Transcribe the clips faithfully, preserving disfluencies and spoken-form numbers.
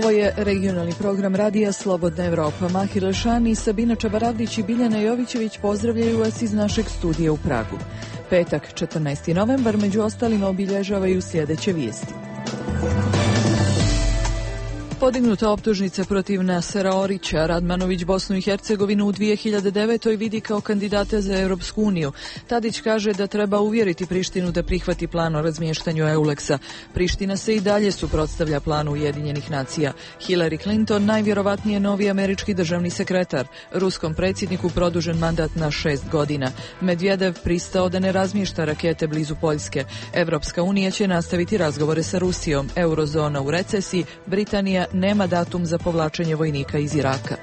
Ovo je regionalni program radija Slobodna Evropa. Mahir Lešani, Sabina Čabaravdić i Biljana Jovićević pozdravljaju vas iz našeg studija u Pragu. Petak, četrnaesti novembar, među ostalima obilježavaju sljedeće vijesti. Podignuta optužnica protiv Nasera Orića. Radmanović Bosnu i Hercegovinu u dvije hiljade devetoj vidi kao kandidata za Europsku uniju. Tadić kaže da treba uvjeriti Prištinu da prihvati plan o razmještanju Euleksa. Priština se i dalje suprotstavlja planu Ujedinjenih nacija. Hillary Clinton najvjerovatnije novi američki državni sekretar. Ruskom predsjedniku produžen mandat na šest godina. Medvedev pristao da ne razmješta rakete blizu Poljske. Evropska unija će nastaviti razgovore sa Rusijom. Eurozona u recesiji. Britanija nema datum za povlačenje vojnika iz Iraka.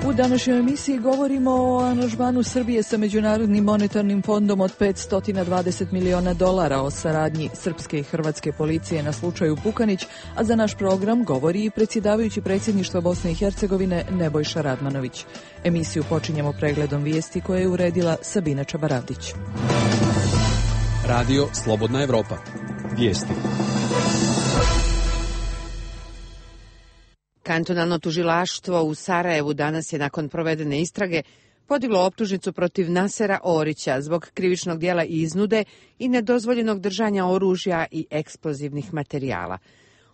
U današnjoj emisiji govorimo o aranžmanu Srbije sa Međunarodnim monetarnim fondom od petsto dvadeset miliona dolara, o saradnji srpske i hrvatske policije na slučaju Pukanić, a za naš program govori i predsjedavajući predsjedništva Bosne i Hercegovine Nebojša Radmanović. Emisiju počinjemo pregledom vijesti koje je uredila Sabina Čabaravdić. Radio Slobodna Evropa. Vijesti. Kantonalno tužilaštvo u Sarajevu danas je nakon provedene istrage podiglo optužnicu protiv Nasera Orića zbog krivičnog djela iznude i nedozvoljenog držanja oružja i eksplozivnih materijala.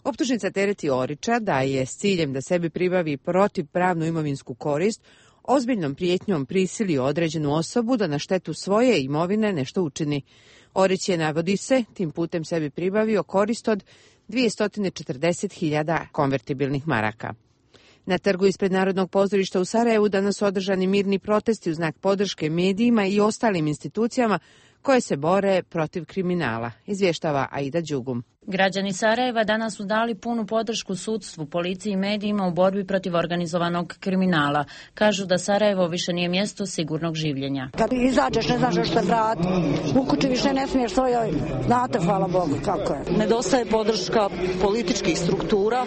Optužnica tereti Orića da je s ciljem da sebi pribavi protivpravnu imovinsku korist ozbiljnom prijetnjom prisilio određenu osobu da na štetu svoje imovine nešto učini. Orić je, navodi se, tim putem sebi pribavio korist od dvjesto četrdeset hiljada konvertibilnih maraka. Na trgu ispred Narodnog pozorišta u Sarajevu danas su održani mirni protesti u znak podrške medijima i ostalim institucijama koje se bore protiv kriminala, izvještava Aida Đugum. Građani Sarajeva danas su dali punu podršku sudstvu, policiji i medijima u borbi protiv organizovanog kriminala. Kažu da Sarajevo više nije mjesto sigurnog življenja. Kad izađeš ne znaš što se vrati. U kući više ne smiješ svojoj, znate, hvala Bogu kako je. Nedostaje podrška političkih struktura,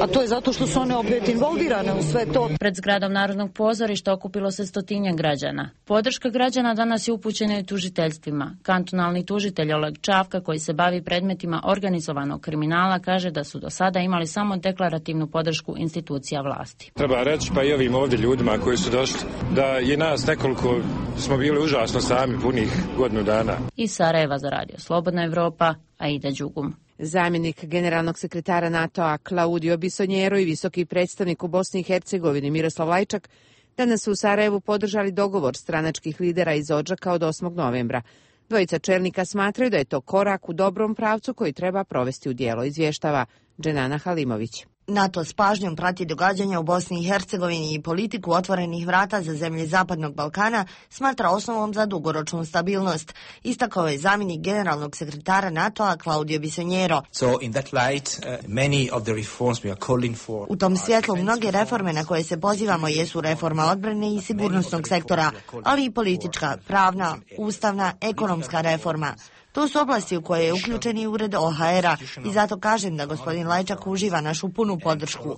a to je zato što su one opet involvirane u sve to. Pred zgradom Narodnog pozorišta okupilo se stotinjak građana. Podrška građana danas je upućena i tužiteljstvima. Kantonalni tužitelj Oleg Čavka, koji se bavi predmetima organizovanog kriminala, kaže da su do sada imali samo deklarativnu podršku institucija vlasti. Treba reći pa i ovim ovdje ljudima koji su došli da je nas nekoliko smo bili užasno sami punih godinu dana. Iz Sarajeva za radio Slobodna Evropa, Aida Đugum. Zamjenik generalnog sekretara NATO-a Claudio Bisonjero i visoki predstavnik u Bosni i Hercegovini Miroslav Lajčak danas su u Sarajevu podržali dogovor stranačkih lidera iz Odžaka od osmog novembra. Dvojica čelnika smatraju da je to korak u dobrom pravcu koji treba provesti u djelo, izvještava Dženana Halimović. NATO s pažnjom prati događanja u Bosni i Hercegovini i politiku otvorenih vrata za zemlje Zapadnog Balkana smatra osnovom za dugoročnu stabilnost, istakao je zamjenik generalnog sekretara NATO-a Claudio Bisonjero. So in that light, uh, many of the reforms we are calling for. U tom svjetlu mnoge reforme na koje se pozivamo jesu reforma odbrane i sigurnosnog sektora, ali i politička, pravna, ustavna, ekonomska reforma. To su oblasti u koje je uključen i ured O H R-a i zato kažem da gospodin Lajčak uživa našu punu podršku.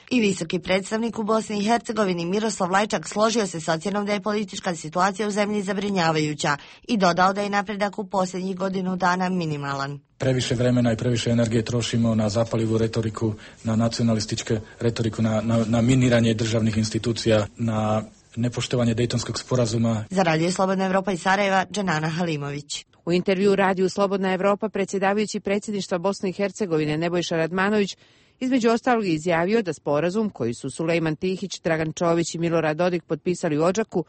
I visoki predstavnik u Bosni i Hercegovini Miroslav Lajčak složio se s ocjenom da je politička situacija u zemlji zabrinjavajuća i dodao da je napredak u posljednjih godinu dana minimalan. Previše vremena i previše energije trošimo na zapalivu retoriku, na nacionalističke retoriku, na, na, na miniranje državnih institucija, na nepoštovanje Dejtonskog sporazuma. Za radio Slobodna Evropa iz Sarajeva, Dženana Halimović. U intervju radiju Slobodna Evropa predsjedavajući predsjedništva Bosne i Hercegovine Nebojša Radmanović između ostalog izjavio da sporazum koji su Sulejman Tihić, Dragan Čović i Milorad Dodik potpisali u Odžaku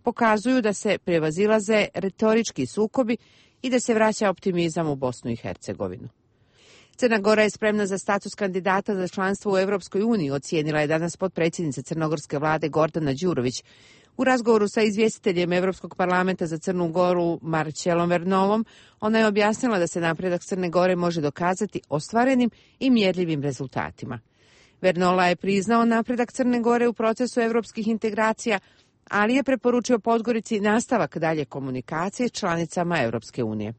pokazuju da se prevazilaze retorički sukobi i da se vraća optimizam u Bosnu i Hercegovinu. Crna Gora je spremna za status kandidata za članstvo u Europskoj uniji, ocijenila je danas potpredsjednica crnogorske vlade Gordana Đurović. U razgovoru sa izvjestiteljem Europskog parlamenta za Crnu Goru Marcelom Vernolom, ona je objasnila da se napredak Crne Gore može dokazati ostvarenim i mjerljivim rezultatima. Vernola je priznao napredak Crne Gore u procesu europskih integracija, ali je preporučio Podgorici nastavak dalje komunikacije s članicama Europske unije.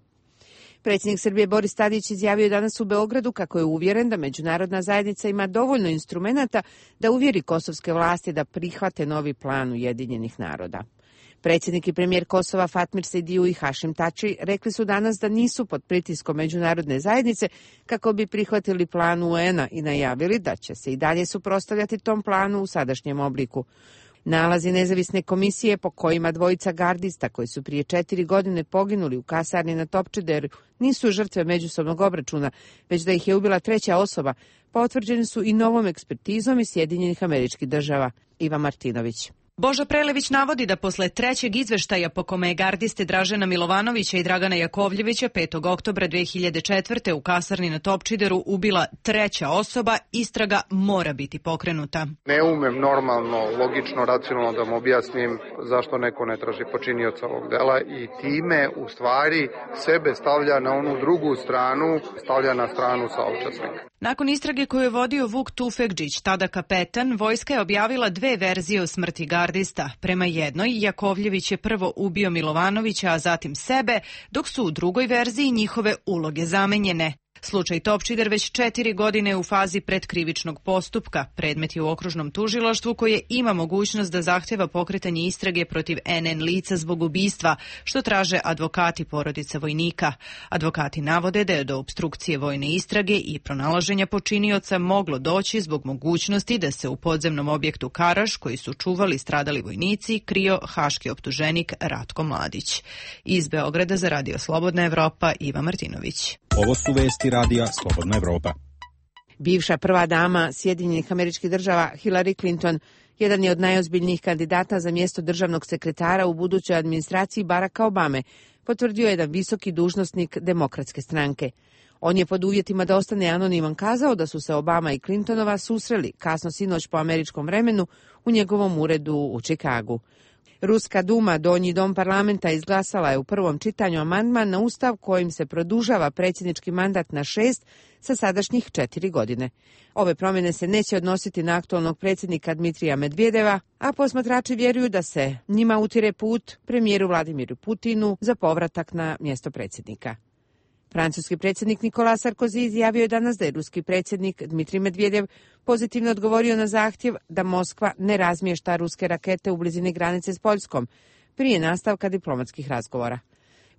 Predsjednik Srbije Boris Tadić izjavio danas u Beogradu kako je uvjeren da međunarodna zajednica ima dovoljno instrumenata da uvjeri kosovske vlasti da prihvate novi plan Ujedinjenih naroda. Predsjednik i premijer Kosova Fatmir Sejdiu i Hašim Tači rekli su danas da nisu pod pritiskom međunarodne zajednice kako bi prihvatili plan U N-a i najavili da će se i dalje suprotstavljati tom planu u sadašnjem obliku. Nalazi nezavisne komisije po kojima dvojica gardista koji su prije četiri godine poginuli u kasarni na Topčideru nisu žrtve međusobnog obračuna, već da ih je ubila treća osoba, potvrđeni su i novom ekspertizom iz Sjedinjenih Američkih Država. Iva Martinović. Boža Prelević navodi da posle trećeg izveštaja po kome je gardiste Dražena Milovanovića i Dragana Jakovljevića petog oktobra dve hiljade četvrte u kasarni na Topčideru ubila treća osoba, istraga mora biti pokrenuta. Ne umem normalno, logično, racionalno da mu objasnim zašto neko ne traži počinioca ovog dela i time u stvari sebe stavlja na onu drugu stranu, stavlja na stranu saučesnika. Nakon istrage koju je vodio Vuk Tufekđić, tada kapetan, vojska je objavila dve verzije o smrti gardista. Prema jednoj, Jakovljević je prvo ubio Milovanovića, a zatim sebe, dok su u drugoj verziji njihove uloge zamenjene. Slučaj Topčider već četiri godine u fazi predkrivičnog postupka. Predmet je u okružnom tužilaštvu koje ima mogućnost da zahteva pokretanje istrage protiv N N lica zbog ubistva, što traže advokati porodice vojnika. Advokati navode da je do opstrukcije vojne istrage i pronalaženja počinioca moglo doći zbog mogućnosti da se u podzemnom objektu Karaš, koji su čuvali stradali vojnici, krio haški optuženik Ratko Mladić. Iz Beograda za Radio Slobodna Evropa, Iva Martinović. Ovo su vesti radija Slobodna Evropa. Bivša prva dama Sjedinjenih Američkih Država Hillary Clinton jedan je od najozbiljnijih kandidata za mjesto državnog sekretara u budućoj administraciji Baracka Obame, potvrdio je jedan visoki dužnosnik Demokratske stranke. On je pod uvjetima da ostane anoniman kazao da su se Obama i Clintonova susreli kasno sinoć po američkom vremenu u njegovom uredu u Čikagu. Ruska Duma, donji dom parlamenta, izglasala je u prvom čitanju amandman na ustav kojim se produžava predsjednički mandat na šest sa sadašnjih četiri godine. Ove promjene se neće odnositi na aktualnog predsjednika Dmitrija Medvedeva, a posmatrači vjeruju da se njima utire put premijeru Vladimiru Putinu za povratak na mjesto predsjednika. Francuski predsjednik Nicolas Sarkozy izjavio je danas da je ruski predsjednik Dmitrij Medvedev pozitivno odgovorio na zahtjev da Moskva ne razmješta ruske rakete u blizini granice s Poljskom prije nastavka diplomatskih razgovora.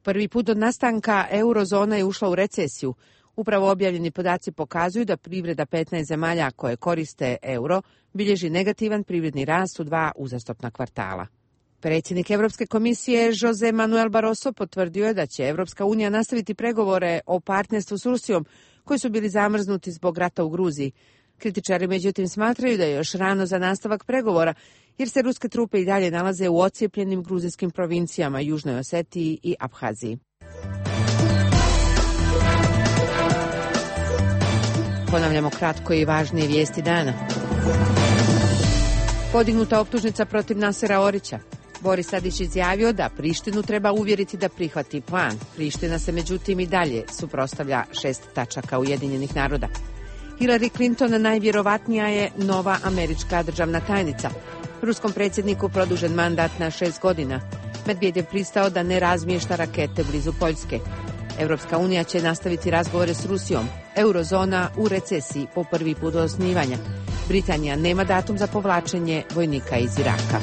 Prvi put od nastanka eurozona je ušla u recesiju. Upravo objavljeni podaci pokazuju da privreda petnaest zemalja koje koriste euro bilježi negativan privredni rast u dva uzastopna kvartala. Predsjednik Europske komisije Jose Manuel Barroso potvrdio je da će Europska unija nastaviti pregovore o partnerstvu s Rusijom koji su bili zamrznuti zbog rata u Gruziji. Kritičari međutim smatraju da je još rano za nastavak pregovora jer se ruske trupe i dalje nalaze u ocijepljenim gruzijskim provincijama Južnoj Osetiji i Abhaziji. Ponavljamo kratko i važnije vijesti dana. Podignuta optužnica protiv Nasera Orića. Boris Tadić izjavio da Prištinu treba uvjeriti da prihvati plan. Priština se međutim i dalje suprotstavlja šest tačaka Ujedinjenih naroda. Hillary Clinton najvjerovatnija je nova američka državna tajnica. Ruskom predsjedniku produžen mandat na šest godina. Medvedev pristao da ne razmješta rakete blizu Poljske. Europska unija će nastaviti razgovore s Rusijom. Eurozona u recesiji po prvi put od osnivanja. Britanija nema datum za povlačenje vojnika iz Iraka.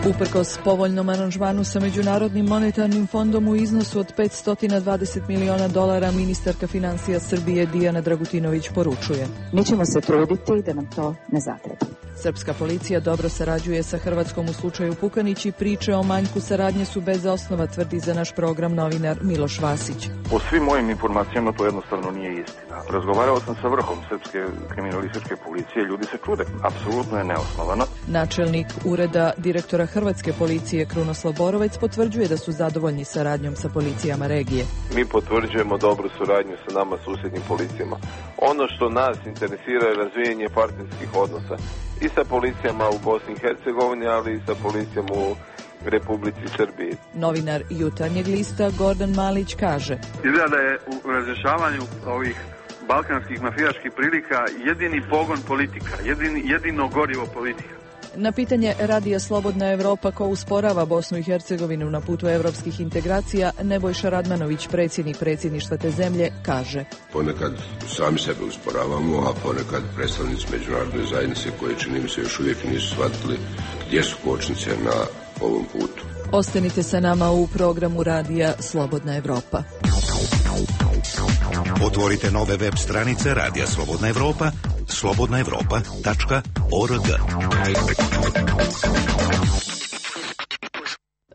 Uprkos povoljnom aranžmanu sa Međunarodnim monetarnim fondom u iznosu od petsto dvadeset miliona dolara, ministarka financija Srbije Dijana Dragutinović poručuje: Mi ćemo se truditi da nam to ne zatreba. Srpska policija dobro sarađuje sa Hrvatskom u slučaju Pukanić i priče o manjku saradnje su bez osnova, tvrdi za naš program novinar Miloš Vasić. Po svim mojim informacijama to jednostavno nije istina. Razgovarao sam sa vrhom Srpske kriminalističke policije, ljudi se čude, apsolutno je neosnovano. Načelnik ureda direktora Hrvatske policije Krunoslav Borovac potvrđuje da su zadovoljni saradnjom sa policijama regije. Mi potvrđujemo dobru suradnju sa nama susjednim policijama. Ono što nas interesira je razvijanje partnerskih odnosa i sa policijama u Bosni i Hercegovini, ali i sa policijom u Republici Srbiji. Novinar Jutarnjeg lista Gordan Malić kaže: Izgleda da je u razrješavanju ovih balkanskih mafijaških prilika jedini pogon politika, jedini, jedino gorivo politika. Na pitanje Radija Slobodna Evropa ko usporava Bosnu i Hercegovinu na putu evropskih integracija, Nebojša Radmanović, predsjednik predsjedništva te zemlje, kaže: Ponekad sami sebe usporavamo, a ponekad predstavnici međunarodne zajednice koje, čini mi se, još uvijek nisu shvatili gdje su kočnice na ovom putu. Ostanite sa nama u programu Radija Slobodna Evropa. Otvorite nove web stranice Radija Slobodna Evropa, slobodna evropa tačka org.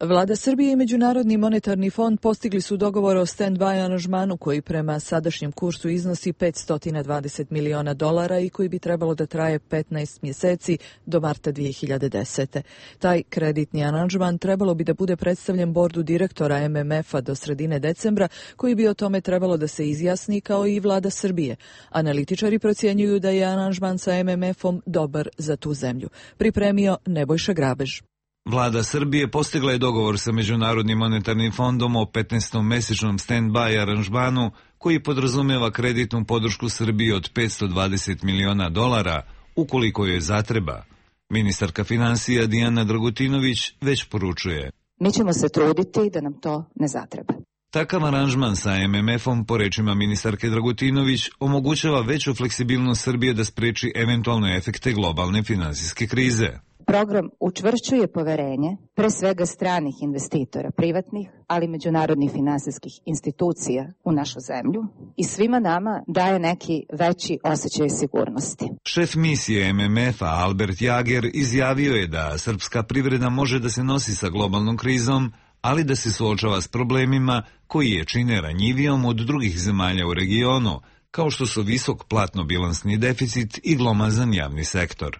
Vlada Srbije i Međunarodni monetarni fond postigli su dogovor o stand-by aranžmanu koji prema sadašnjem kursu iznosi petsto dvadeset miliona dolara i koji bi trebalo da traje petnaest mjeseci do marta dvije hiljade desete. Taj kreditni aranžman trebalo bi da bude predstavljen bordu direktora M M F-a do sredine decembra, koji bi o tome trebalo da se izjasni kao i vlada Srbije. Analitičari procjenjuju da je aranžman sa M M F-om dobar za tu zemlju. Pripremio Nebojša Grabež. Vlada Srbije postigla je dogovor sa Međunarodnim monetarnim fondom o petnaestomesečnom stand-by aranžmanu koji podrazumijeva kreditnu podršku Srbiji od petsto dvadeset miliona dolara ukoliko joj zatreba. Ministarka financija Dijana Dragutinović već poručuje: Mi ćemo se truditi da nam to ne zatreba. Takav aranžman sa M M F-om, po rečima ministarke Dragutinović, omogućava veću fleksibilnost Srbije da spreči eventualne efekte globalne finansijske krize. Program učvršćuje poverenje, pre svega stranih investitora, privatnih, ali međunarodnih finansijskih institucija u našu zemlju i svima nama daje neki veći osjećaj sigurnosti. Šef misije M M F-a Albert Jager izjavio je da srpska privreda može da se nosi sa globalnom krizom, ali da se suočava s problemima koji je čine ranjivijom od drugih zemalja u regionu, kao što su visok platno-bilansni deficit i glomazan javni sektor.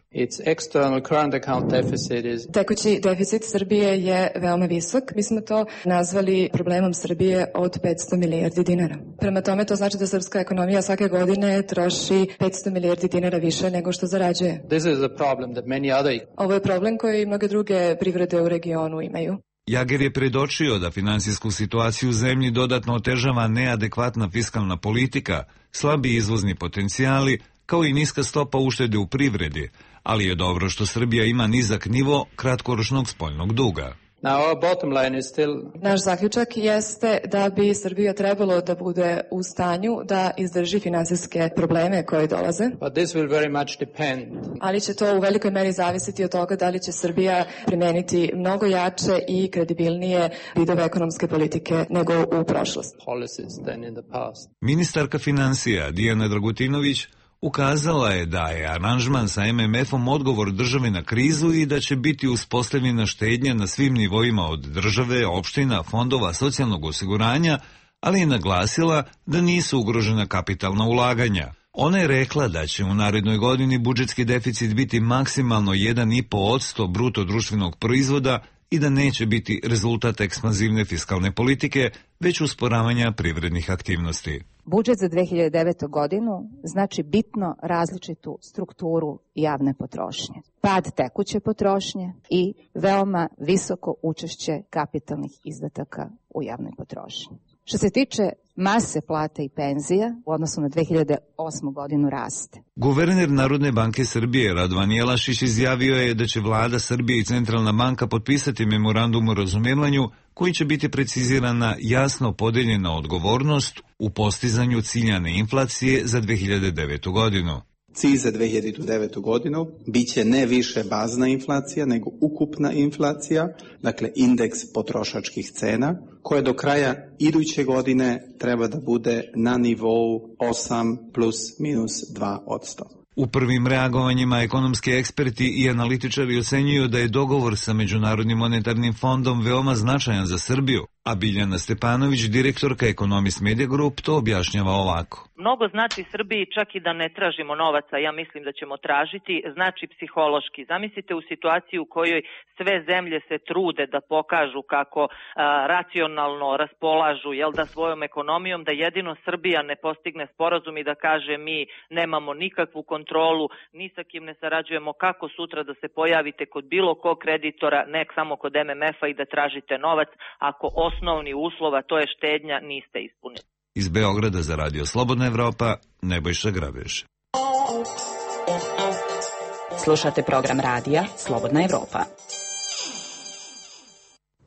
Tekući deficit Srbije je veoma visok. Mi smo to nazvali problemom Srbije od petsto milijardi dinara. Prema tome to znači da srpska ekonomija svake godine troši petsto milijardi dinara više nego što zarađuje. Ovo je problem koji mnoge druge privrede u regionu imaju. Jager je predočio da finansijsku situaciju u zemlji dodatno otežava neadekvatna fiskalna politika, slabi izvozni potencijali, kao i niska stopa uštede u privredi, ali je dobro što Srbija ima nizak nivo kratkoročnog spoljnog duga. Naš zaključak jeste da bi Srbija trebalo da bude u stanju da izdrži finansijske probleme koje dolaze. Ali će to u velikoj meri zavisiti od toga da li će Srbija primeniti mnogo jače i kredibilnije vidove ekonomske politike nego u prošlosti. Ministarka financija Dijana Dragutinović ukazala je da je aranžman sa M M F-om odgovor države na krizu i da će biti uspostavljena štednja na svim nivoima od države, opština, fondova, socijalnog osiguranja, ali je naglasila da nisu ugrožena kapitalna ulaganja. Ona je rekla da će u narednoj godini budžetski deficit biti maksimalno jedan i po posto bruto društvenog proizvoda i da neće biti rezultat ekspanzivne fiskalne politike, već usporavanja privrednih aktivnosti. Budžet za dve hiljade devetu. godinu znači bitno različitu strukturu javne potrošnje. Pad tekuće potrošnje i veoma visoko učešće kapitalnih izdataka u javnoj potrošnji. Što se tiče mase plata i penzija, u odnosu na dve hiljade osmu. godinu raste. Guverner Narodne banke Srbije Radovan Jelašić izjavio je da će vlada Srbije i Centralna banka potpisati memorandum o razumijevanju koji će biti precizirana jasno podeljena odgovornost u postizanju ciljane inflacije za dve hiljade devetu. godinu. Cilj za dve hiljade devetu. godinu biće ne više bazna inflacija, nego ukupna inflacija, dakle indeks potrošačkih cena, koje do kraja iduće godine treba da bude na nivou osam plus minus dva posto. U prvim reagovanjima ekonomski eksperti i analitičari ocenjuju da je dogovor sa Međunarodnim monetarnim fondom veoma značajan za Srbiju, a Biljana Stepanović, direktorka Economist Media Group, to objašnjava ovako. Mnogo znači Srbiji čak i da ne tražimo novaca, ja mislim da ćemo tražiti, znači psihološki. Zamislite u situaciju u kojoj sve zemlje se trude da pokažu kako a, racionalno raspolažu, jel da, svojom ekonomijom, da jedino Srbija ne postigne sporazum i da kaže mi nemamo nikakvu kontrolu, ni sa kim ne sarađujemo, kako sutra da se pojavite kod bilo kog kreditora, ne samo kod M M F-a i da tražite novac, ako osnovni uslova, to je štednja, niste ispunili. Iz Beograda za Radio Slobodna Evropa, Nebojša Grabež. Slušate program radija Slobodna Evropa.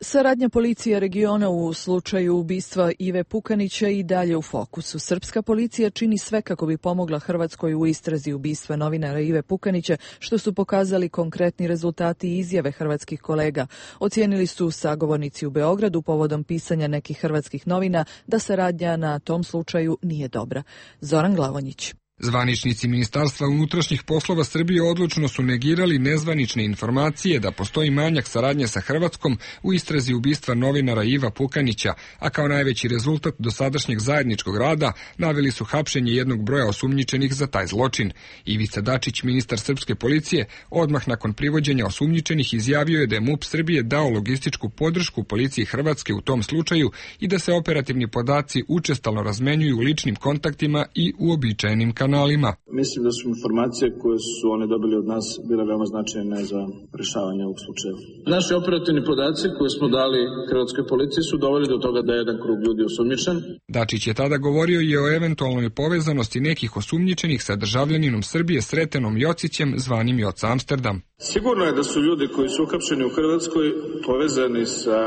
Saradnja policije regiona u slučaju ubistva Ive Pukanića i dalje u fokusu. Srpska policija čini sve kako bi pomogla Hrvatskoj u istrazi ubistva novinara Ive Pukanića, što su pokazali konkretni rezultati i izjave hrvatskih kolega. Ocijenili su sagovornici u Beogradu povodom pisanja nekih hrvatskih novina da saradnja na tom slučaju nije dobra. Zoran Glavonjić. Zvaničnici Ministarstva unutrašnjih poslova Srbije odlučno su negirali nezvanične informacije da postoji manjak saradnje sa Hrvatskom u istrazi ubistva novinara Iva Pukanića, a kao najveći rezultat dosadašnjeg zajedničkog rada naveli su hapšenje jednog broja osumnjičenih za taj zločin. Ivica Dačić, ministar srpske policije, odmah nakon privođenja osumnjičenih izjavio je da je MUP Srbije dao logističku podršku policiji Hrvatske u tom slučaju i da se operativni podaci učestalno razmenjuju u ličnim kontaktima i uobičajenim kanalima. Kanalima. Mislim da su informacije koje su oni dobili od nas bile veoma značajne za rešavanje ovog slučaja. Naši operativni podaci koje smo dali hrvatskoj policiji su doveli do toga da je jedan krug ljudi osumnjičen. Dačić je tada govorio i o eventualnoj povezanosti nekih osumnjičenih sa državljaninom Srbije Sretenom Jocićem zvanim Joca Amsterdam. Sigurno je da su ljudi koji su uhapšeni u Hrvatskoj povezani sa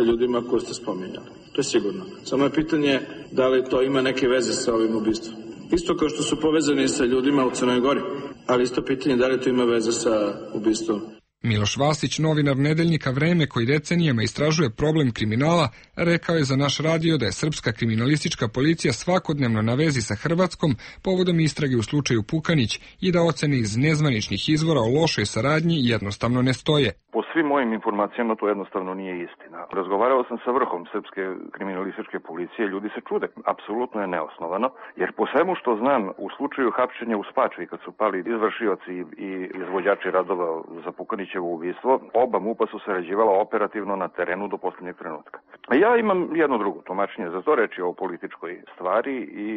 ljudima koje ste spominjali. To je sigurno. Samo je pitanje da li to ima neke veze sa ovim ubistvom. Isto kao što su povezani sa ljudima u Crnoj Gori, ali isto pitanje da li to ima veze sa ubistvom. Miloš Vasić, novinar nedeljnika Vreme koji decenijama istražuje problem kriminala, rekao je za naš radio da je srpska kriminalistička policija svakodnevno na vezi sa Hrvatskom povodom istrage u slučaju Pukanić i da ocene iz nezvaničnih izvora o lošoj saradnji jednostavno ne stoje. Po svim mojim informacijama to jednostavno nije istina. Razgovarao sam sa vrhom srpske kriminalističke policije, ljudi se čude. Apsolutno je neosnovano, jer po svemu što znam, u slučaju hapšenja u Spačvi, kad su pali izvršioci i izvođači radova za Pukanićevo ubistvo, oba MUP-a su sarađivala operativno na terenu do posljednjeg trenutka. Ja imam jedno drugo tumačenje za to, reći o političkoj stvari i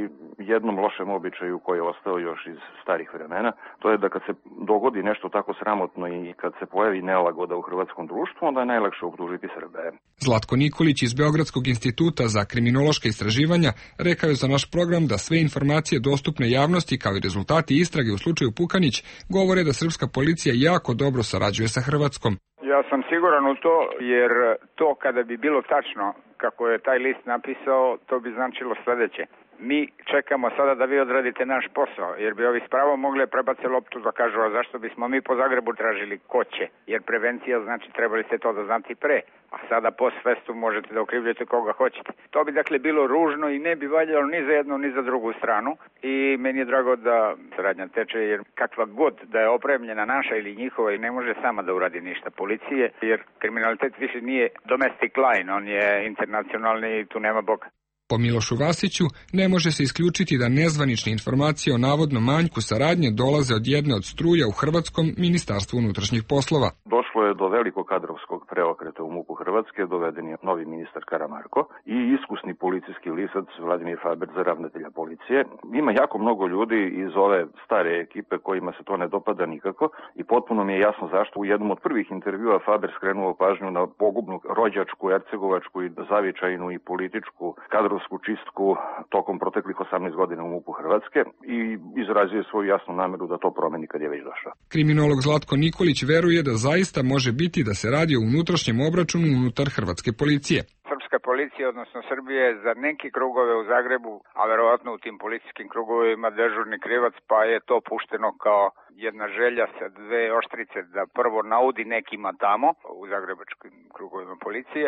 jednom lošem običaju koji je ostao još iz starih vremena. To je da kad se dogodi nešto tako sramotno i kad se pojavi nelagoda u hrvatskom društvu, onda je najlakše optužiti Srbe. Zlatko Nikolić iz Beogradskog instituta za kriminološka istraživanja rekao je za naš program da sve informacije dostupne javnosti kao i rezultati istrage u slučaju Pukanić govore da srpska policija jako dobro sarađuje sa Hrvatskom. Ja sam siguran u to, jer to kada bi bilo tačno kako je taj list napisao, to bi značilo sledeće. Mi čekamo sada da vi odradite naš posao, jer bi ovi spravo mogli prebace loptu da kažu, a zašto bismo mi po Zagrebu tražili ko će, jer prevencija znači trebali ste to da znati pre, a sada post festum možete da okrivljujete koga hoćete. To bi dakle bilo ružno i ne bi valjalo ni za jednu ni za drugu stranu i meni je drago da saradnja teče, jer kakva god da je opremljena naša ili njihova i ne može sama da uradi ništa policije, jer kriminalitet više nije domestic line, on je internacionalni i tu nema Boga. Po Milošu Vasiću ne može se isključiti da nezvanične informacije o navodnom manjku saradnje dolaze od jedne od struja u Hrvatskom ministarstvu unutrašnjih poslova. Došlo je do velikog kadrovskog preokreta u MUP-u Hrvatske, doveden je novi ministar Karamarko i iskusni policijski lisac Vladimir Faber za ravnatelja policije. Ima jako mnogo ljudi iz ove stare ekipe kojima se to ne dopada nikako i potpuno mi je jasno zašto. U jednom od prvih intervjua Faber skrenuo pažnju na pogubnu rođačku, ercegovačku i zavičajnu i političku kadrovsku čistku tokom proteklih osamnaest godina u MUP-u Hrvatske i izrazio svoju jasnu nameru da to promeni kad je već došao. Kriminolog Zlatko Nikolić veruje da zaista može biti da se radi o unutrašnjem obračunu unutar hrvatske policije. Srpska policija, odnosno Srbije, za neki krugove u Zagrebu, a verovatno u tim policijskim krugovima dežurni krivac, pa je to pušteno kao jedna želja sa dve oštrice da prvo naudi nekima tamo u zagrebačkim krugovima policije,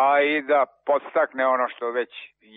a i da podstakne ono što već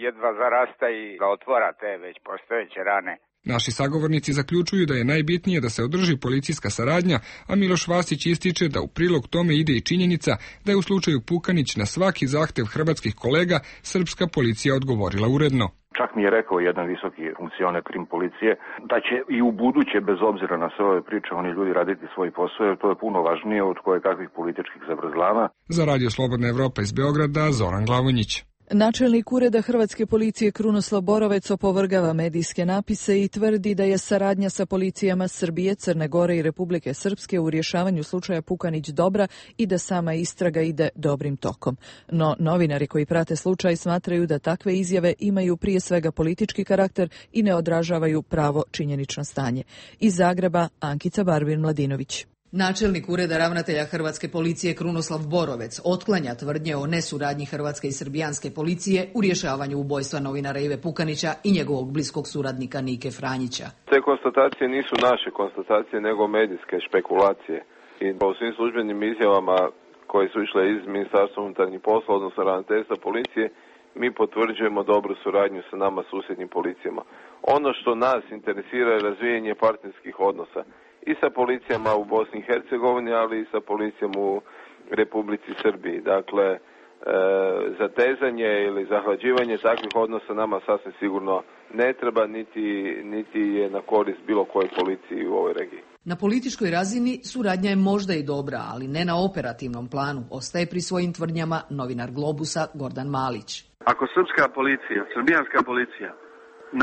jedva zarasta i da otvara te već postojeće rane. Naši sagovornici zaključuju da je najbitnije da se održi policijska saradnja, a Miloš Vasić ističe da u prilog tome ide i činjenica da je u slučaju Pukanić na svaki zahtev hrvatskih kolega srpska policija odgovorila uredno. Čak mi je rekao jedan visoki funkcioner krim policije da će i u buduće, bez obzira na sve ove priče, oni ljudi raditi svoj posao, jer to je puno važnije od koje kakvih političkih zavrzlama. Za Radio Slobodna Evropa iz Beograda, Zoran Glavonjić. Načelnik Ureda Hrvatske policije Krunoslav Borovec opovrgava medijske napise i tvrdi da je saradnja sa policijama Srbije, Crne Gore i Republike Srpske u rješavanju slučaja Pukanić dobra i da sama istraga ide dobrim tokom. No, novinari koji prate slučaj smatraju da takve izjave imaju prije svega politički karakter i ne odražavaju pravo činjenično stanje. Iz Zagreba, Ankica Barbin-Mladinović. Načelnik Ureda ravnatelja Hrvatske policije Krunoslav Borovec otklanja tvrdnje o nesuradnji hrvatske i srbijanske policije u rješavanju ubojstva novinara Ive Pukanića i njegovog bliskog suradnika Nike Franjića. Te konstatacije nisu naše konstatacije, nego medijske špekulacije. I po svim službenim izjavama koje su išle iz Ministarstva unutarnjih poslova, odnosno ravnateljstva policije, mi potvrđujemo dobru suradnju sa nama susjednim policijama. Ono što nas interesira je razvijanje partnerskih odnosa i sa policijama u Bosni i Hercegovini, ali i sa policijom u Republici Srbiji. Dakle, e, zatezanje ili zahlađivanje takvih odnosa nama sasvim sigurno ne treba, niti, niti je na korist bilo koje policiji u ovoj regiji. Na političkoj razini suradnja je možda i dobra, ali ne na operativnom planu, ostaje pri svojim tvrdnjama novinar Globusa Gordan Malić. Ako srpska policija, srbijanska policija,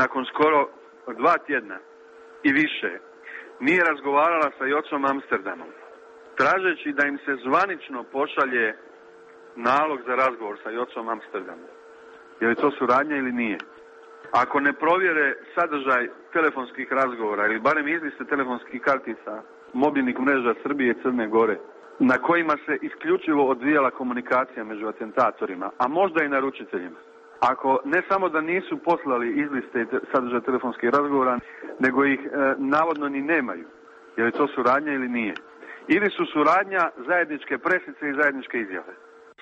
nakon skoro dva tjedna i više, nije razgovarala sa Jocom Amsterdamom, tražeći da im se zvanično pošalje nalog za razgovor sa Jocom Amsterdamom, je li to suradnja ili nije? Ako ne provjere sadržaj telefonskih razgovora ili barem izliste telefonskih kartica mobilnih mreža Srbije i Crne Gore, na kojima se isključivo odvijala komunikacija među atentatorima, a možda i naručiteljima, ako ne samo da nisu poslali izliste i sadržaj telefonskih razgovora, nego ih e, navodno ni nemaju, je li to suradnja ili nije? Ili su suradnja zajedničke presice i zajedničke izjave?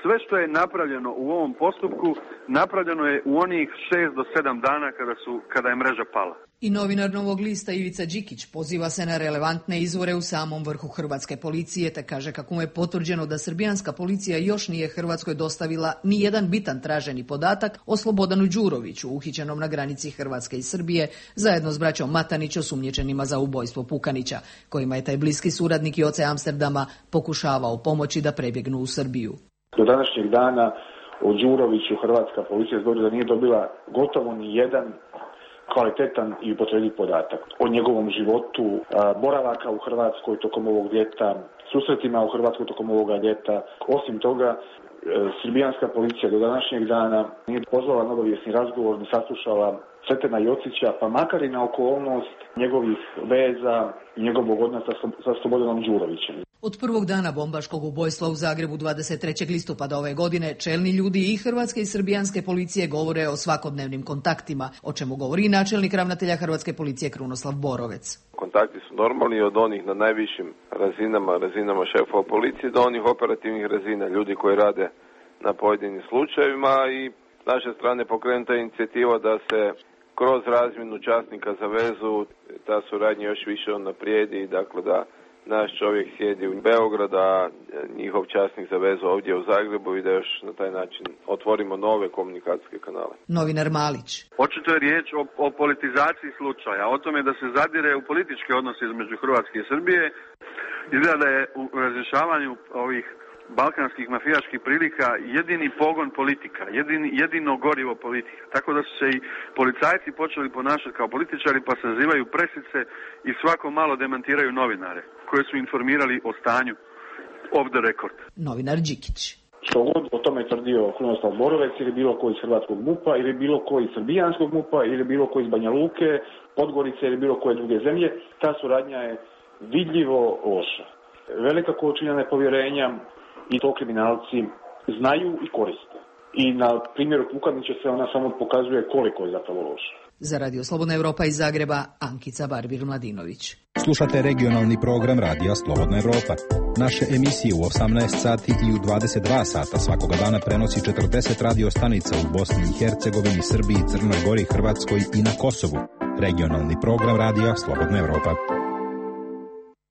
Sve što je napravljeno u ovom postupku, napravljeno je u onih šest do sedam dana kada, su, kada je mreža pala. I novinar Novog lista Ivica Đikić poziva se na relevantne izvore u samom vrhu hrvatske policije, te kaže kako mu je potvrđeno da srbijanska policija još nije Hrvatskoj dostavila ni jedan bitan traženi podatak o Slobodanu Đuroviću, uhićenom na granici Hrvatske i Srbije, zajedno s braćom Matanić osumnjičenima za ubojstvo Pukanića, kojima je taj bliski suradnik Joce Amsterdama pokušavao pomoći da prebjegnu u Srbiju. Do današnjeg dana o Đuroviću hrvatska policija zbog da nije dobila gotovo ni jedan kvalitetan i upotrebljiv podatak o njegovom životu, boravaka u Hrvatskoj tokom ovog ljeta, susretima u Hrvatskoj tokom ovoga ljeta. Osim toga, srbijanska policija do današnjeg dana nije pozvala na obavijesni razgovor, ne saslušala Cvetena Jocića, pa makar i na okolnost njegovih veza i njegovog odnosa sa Slobodanom Đurovićem. Od prvog dana bombaškog ubojstva u Zagrebu dvadeset trećeg listopada ove godine čelni ljudi i hrvatske i srbijanske policije govore o svakodnevnim kontaktima, o čemu govori načelnik ravnatelja Hrvatske policije Krunoslav Borovec. Kontakti su normalni od onih na najvišim razinama, razinama šefova policije do onih operativnih razina, ljudi koji rade na pojedinim slučajevima i naše strane pokrenuta je inicijativa da se kroz razmjenu časnika za vezu ta suradnja još više unaprijedi, dakle da naš čovjek sjedi u Beogradu, a njihov časnik za vezu ovdje u Zagrebu i da još na taj način otvorimo nove komunikacijske kanale. Novinar Malić. Očito je riječ o, o politizaciji slučaja, o tome da se zadire u političke odnose između Hrvatske i Srbije. Izgleda da je u razrješavanju ovih balkanskih mafijaških prilika jedini pogon politika, jedini, jedino gorivo politika. Tako da su se i policajci počeli ponašati kao političari, pa sazivaju presice i svako malo demantiraju novinare koje su informirali o stanju off the record. Novinar Đikić. Što god o tome tvrdio Krunoslav Borovec ili bilo koji iz hrvatskog MUP-a ili bilo koji iz srbijanskog MUP-a ili bilo koji iz Banja Luke, Podgorice ili bilo koje druge zemlje, ta suradnja je vidljivo loša. Velika količina nepovjerenja i to kriminalci znaju i koriste. I na primjeru Pukanića se ona samo pokazuje koliko je zapravo loša. Za Radio Slobodna Evropa iz Zagreba, Ankica Barbir-Mladinović. Slušate regionalni program Radija Slobodna Evropa. Naše emisije u osamnaest sati i u dvadeset dva sata svakoga dana prenosi četrdeset radio stanica u Bosni i Hercegovini, Srbiji, Crnoj Gori, Hrvatskoj i na Kosovu. Regionalni program Radija Slobodna Evropa.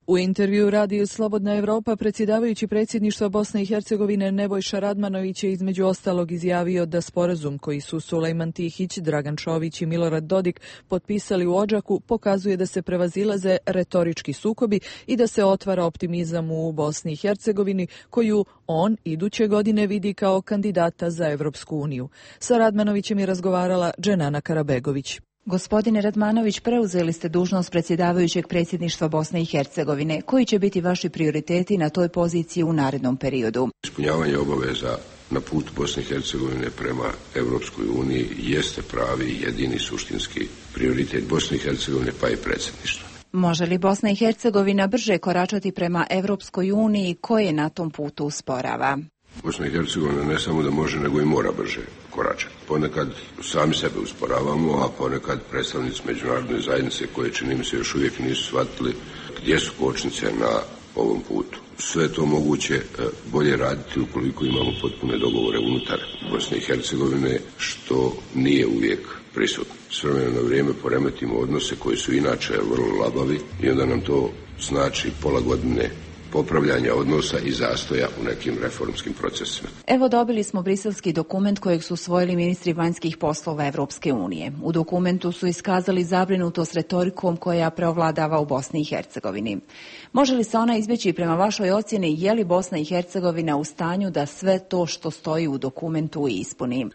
U intervju radiju Slobodna Evropa predsjedavajući predsjedništva Bosne i Hercegovine Nebojša Radmanović je između ostalog izjavio da sporazum koji su Sulejman Tihić, Dragan Čović i Milorad Dodik potpisali u Odžaku pokazuje da se prevazilaze retorički sukobi i da se otvara optimizam u Bosni i Hercegovini koju on iduće godine vidi kao kandidata za Evropsku uniju. Sa Radmanovićem je razgovarala Dženana Karabegović. Gospodine Radmanović, preuzeli ste dužnost predsjedavajućeg predsjedništva Bosne i Hercegovine. Koji će biti vaši prioriteti na toj poziciji u narednom periodu? Ispunjavanje obaveza na put Bosne i Hercegovine prema Evropskoj uniji jeste pravi i jedini suštinski prioritet Bosne i Hercegovine pa i predsjedništva. Može li Bosna i Hercegovina brže koračati prema Evropskoj uniji koje na tom putu usporava? Bosna i Hercegovina ne samo da može, nego i mora brže koračati. Ponekad sami sebe usporavamo, a ponekad predstavnici međunarodne zajednice koje čini mi se još uvijek nisu shvatili gdje su kočnice na ovom putu. Sve je to moguće bolje raditi ukoliko imamo potpune dogovore unutar Bosne i Hercegovine, što nije uvijek prisutno. S vremena na vrijeme poremetimo odnose koji su inače vrlo labavi i onda nam to znači pola godine popravljanja odnosa i zastoja u nekim reformskim procesima. Evo, dobili smo briselski dokument kojeg su usvojili ministri vanjskih poslova Evropske unije. U dokumentu su iskazali zabrinutost retorikom koja preovladava u Bosni i Hercegovini. Može li se ona izbjeći prema vašoj ocjeni, je li Bosna i Hercegovina u stanju da sve to što stoji u dokumentu ispuni?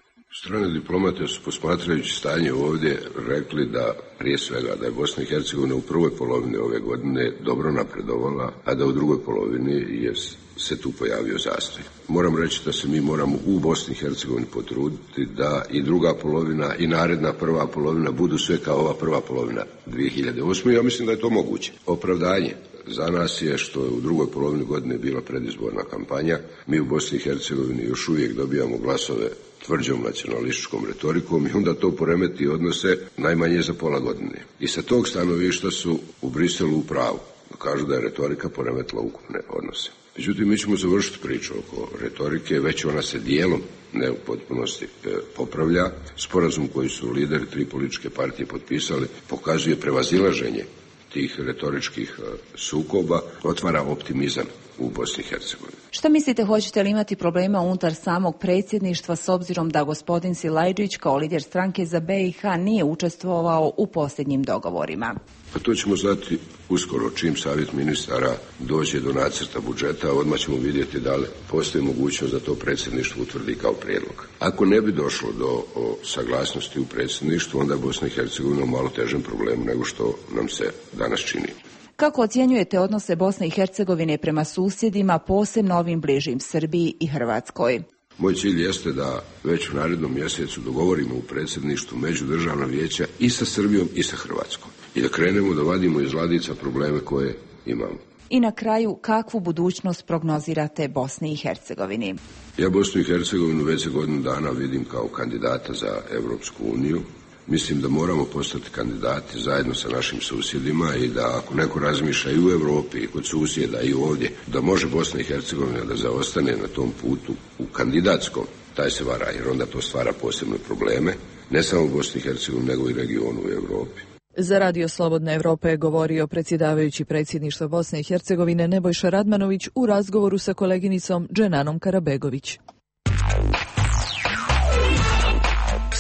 Strane diplomate su, posmatrajući stanje ovdje, rekli da prije svega da je Bosna i Hercegovina u prvoj polovini ove godine dobro napredovala, a da u drugoj polovini je se tu pojavio zastoj. Moram reći da se mi moramo u Bosni i Hercegovini potruditi da i druga polovina i naredna prva polovina budu sve kao ova prva polovina dvije hiljade osme. Ja mislim da je to moguće. Opravdanje za nas je što je u drugoj polovini godine bila predizborna kampanja. Mi u Bosni i Hercegovini još uvijek dobijamo glasove tvrđom nacionalističkom retorikom i onda to poremeti odnose najmanje za pola godine. I sa tog stanovišta su u Briselu u pravu. Kažu da je retorika poremetila ukupne odnose. Međutim, mi ćemo završiti priču oko retorike, već ona se dijelom, ne u potpunosti, e, popravlja. Sporazum koji su lideri tri političke partije potpisali pokazuje prevazilaženje tih retoričkih e, sukoba, otvara optimizam u Bosni i Hercegovini. Šta mislite, hoćete li imati problema unutar samog predsjedništva s obzirom da gospodin Silajdžić kao lider stranke za B i H nije učestvovao u posljednjim dogovorima? Pa to ćemo znati uskoro, čim savjet ministara dođe do nacrta budžeta, odmah ćemo vidjeti da li postoji mogućnost da to predsjedništvo utvrdi kao prijedlog. Ako ne bi došlo do o, saglasnosti u predsjedništvu, onda je Bosna i Hercegovina u malo težem problemu nego što nam se danas čini. Kako ocjenjujete odnose Bosne i Hercegovine prema susjedima, posebno ovim bližim Srbiji i Hrvatskoj? Moj cilj jeste da već u narednom mjesecu dogovorimo u predsjedništvu međudržavna vijeća i sa Srbijom i sa Hrvatskom i da krenemo da vadimo iz ladica probleme koje imamo. I na kraju, kakvu budućnost prognozirate Bosni i Hercegovini? Ja Bosnu i Hercegovinu već za godinu dana vidim kao kandidata za Evropsku uniju. Mislim da moramo postati kandidati zajedno sa našim susjedima i da ako neko razmišlja i u Europi i kod susjeda i ovdje, da može Bosna i Hercegovina da zaostane na tom putu u kandidatskom, taj se vara, jer onda to stvara posebne probleme, ne samo u Bosni i Hercegovini, nego i regionu u Europi. Za Radio Slobodna Evropa je govorio predsjedavajući predsjedništva Bosne i Hercegovine Nebojša Radmanović u razgovoru sa koleginicom Dženanom Karabegović.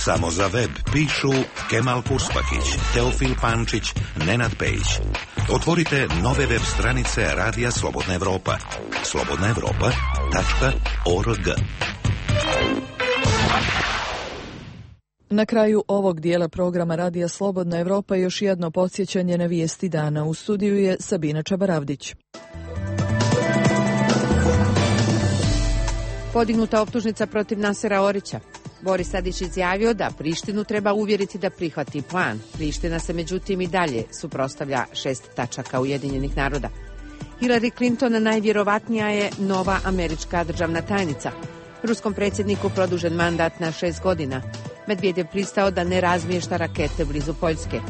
Samo za web pišu Kemal Purspakić, Teofil Pančić, Nenad Pejić. Otvorite nove web stranice Radija Slobodna Evropa. slobodna evropa tačka org. Na kraju ovog dijela programa Radija Slobodna Evropa još jedno podsjećanje na vijesti dana. U studiju je Sabina Čabaravdić. Podignuta optužnica protiv Nasera Orića. Boris Tadić izjavio da Prištinu treba uvjeriti da prihvati plan. Priština se međutim i dalje suprotstavlja šest tačaka Ujedinjenih naroda. Hillary Clinton najvjerovatnija je nova američka državna tajnica. Ruskom predsjedniku produžen mandat na šest godina. Medvedev pristao da ne razmješta rakete blizu Poljske.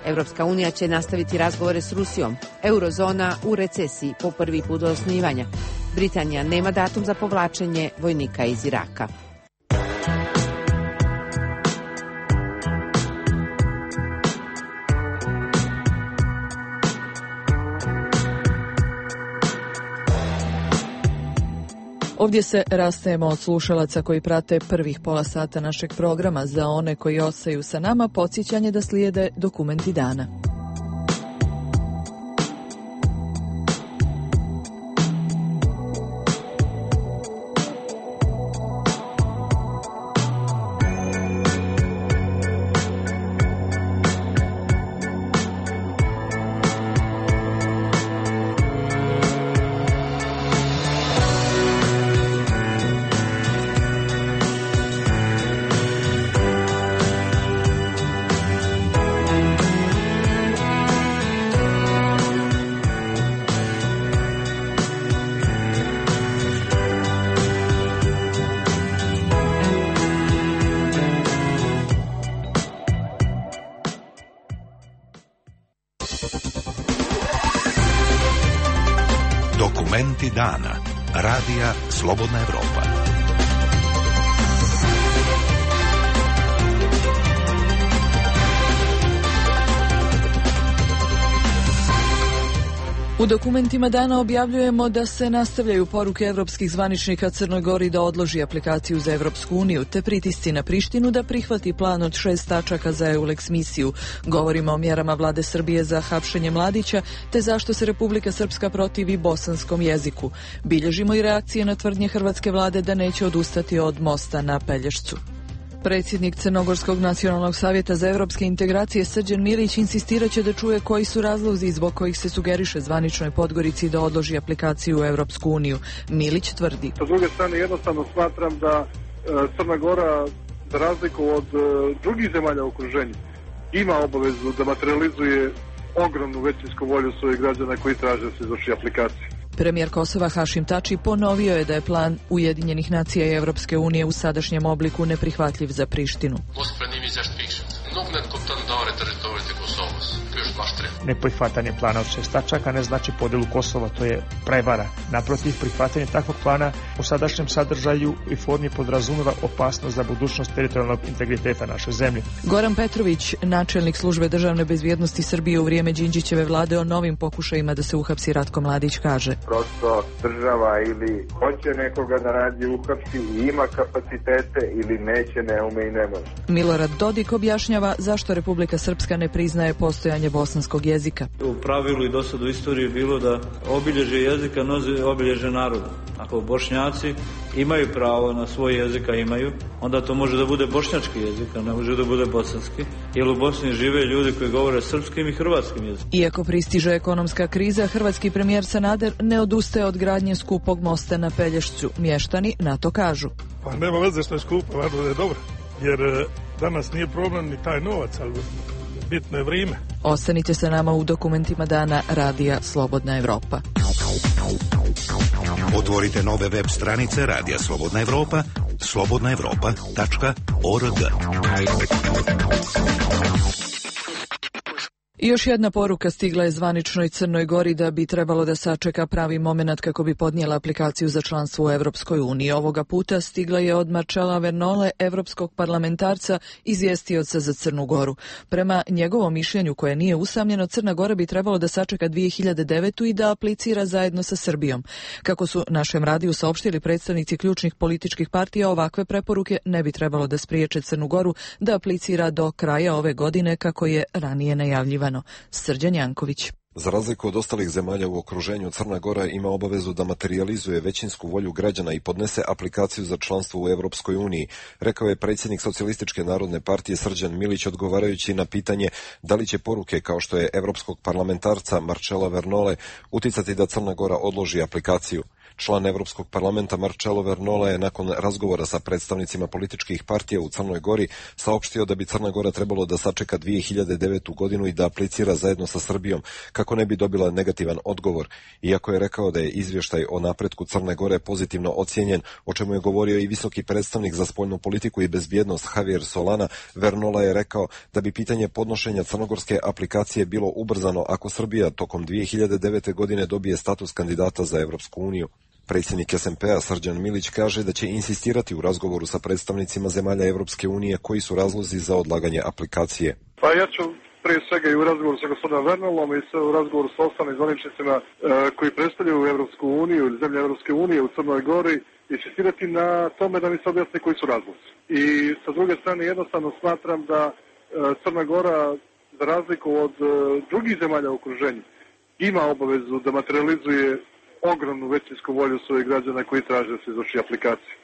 Evropska unija će nastaviti razgovore s Rusijom. Eurozona u recesiji po prvi put do osnivanja. Britanija nema datum za povlačenje vojnika iz Iraka. Ovdje se rastajemo od slušalaca koji prate prvih pola sata našeg programa. Za one koji ostaju sa nama, podsjećanje da slijede dokumenti dana. Dokumenti dana. Radija Slobodna Evropa. U dokumentima dana objavljujemo da se nastavljaju poruke evropskih zvaničnika Crnoj Gori da odloži aplikaciju za Evropsku uniju, te pritisci na Prištinu da prihvati plan od šest tačaka za EULEX misiju. Govorimo o mjerama vlade Srbije za hapšenje mladića, te zašto se Republika Srpska protivi bosanskom jeziku. Bilježimo i reakcije na tvrdnje hrvatske vlade da neće odustati od mosta na Pelješcu. Predsjednik Crnogorskog nacionalnog savjeta za evropske integracije Srđan Milić insistiraće da čuje koji su razlozi zbog kojih se sugeriše zvaničnoj Podgorici da odloži aplikaciju u Evropsku uniju. Milić tvrdi. Sa druge strane, jednostavno smatram da e, Crna Gora, za razliku od e, drugih zemalja u okruženju, ima obavezu da materializuje ogromnu većinsku volju svojih građana koji traže da se izvrši aplikacija. Premijer Kosova Hašim Tači ponovio je da je plan Ujedinjenih nacija i Evropske unije u sadašnjem obliku neprihvatljiv za Prištinu. Neprihvatanje plana od šest tačaka ne znači podjelu Kosova, to je prevara. Naprotiv, prihvatanje takvog plana u sadašnjem sadržaju i formi podrazumeva opasnost za budućnost teritorijalnog integriteta naše zemlje. Goran Petrović, načelnik službe državne bezbjednosti Srbije u vrijeme Đinđićeve vlade o novim pokušajima da se uhapsi Ratko Mladić kaže. Prosto država ili hoće nekoga da radi uhapsi i ima kapacitete ili neće, ne ume i ne može. Milorad Dodik objašnjava zašto Republika Srpska ne priznaje postojanje bosanskog jezika. U pravilu i dosad u istoriji je bilo da obilježje jezika nosi obilježje naroda. Ako Bošnjaci imaju pravo na svoj jezik, a imaju, onda to može da bude bošnjački jezik, a ne može da bude bosanski, jer u Bosni žive ljudi koji govore srpskim i hrvatskim jezikom. Iako pristiže ekonomska kriza, hrvatski premijer Sanader ne odustaje od gradnje skupog mosta na Pelješcu. Mještani na to kažu. Pa nema veze što je skupo, važno da je dobro, jer danas nije problem ni taj novac, ali bitno je vrijeme. Ostanite sa nama u dokumentima dana Radija Slobodna Evropa. Otvorite nove web stranice Radija Slobodna Evropa, slobodna evropa tačka org. I još jedna poruka stigla je zvaničnoj Crnoj Gori da bi trebalo da sačeka pravi moment kako bi podnijela aplikaciju za članstvo u Evropskoj uniji. Ovoga puta stigla je od Marcela Vernole, evropskog parlamentarca, izvjestioca za Crnu Goru. Prema njegovom mišljenju, koje nije usamljeno, Crna Gora bi trebalo da sačeka dvije hiljade devetu. i da aplicira zajedno sa Srbijom. Kako su našem radiju saopštili predstavnici ključnih političkih partija, ovakve preporuke ne bi trebalo da spriječe Crnu Goru da aplicira do kraja ove godine, kako je ranije najavljivano. Srđan Janković. Za razliku od ostalih zemalja u okruženju, Crna Gora ima obavezu da materializuje većinsku volju građana i podnese aplikaciju za članstvo u Evropskoj uniji, rekao je predsjednik Socijalističke narodne partije Srđan Milić odgovarajući na pitanje da li će poruke kao što je evropskog parlamentarca Marcela Vernole uticati da Crna Gora odloži aplikaciju. Član Evropskog parlamenta Marcelo Vernole je nakon razgovora sa predstavnicima političkih partija u Crnoj Gori saopštio da bi Crna Gora trebalo da sačeka dvije hiljade devetu. godinu i da aplicira zajedno sa Srbijom kako ne bi dobila negativan odgovor. Iako je rekao da je izvještaj o napretku Crne Gore pozitivno ocijenjen, o čemu je govorio i visoki predstavnik za spoljnu politiku i bezbjednost Javier Solana, Vernola je rekao da bi pitanje podnošenja crnogorske aplikacije bilo ubrzano ako Srbija tokom dvije hiljade devete. godine dobije status kandidata za Evropsku uniju. Predsjednik es em pe-a Srđan Milić kaže da će insistirati u razgovoru sa predstavnicima zemalja Evropske unije koji su razlozi za odlaganje aplikacije. Pa ja ću prije svega i u razgovoru sa gospodinom Vernolom i u razgovoru sa ostalim zvaničnicima e, koji predstavljaju Evropsku uniju ili zemlje Evropske unije u Crnoj Gori insistirati na tome da mi se objasni koji su razlozi. I sa druge strane jednostavno smatram da e, Crna Gora, za razliku od e, drugih zemalja u okruženju, ima obavezu da materializuje ogromnu većinsku volju svojih građana koji traže da se izvrši aplikacija.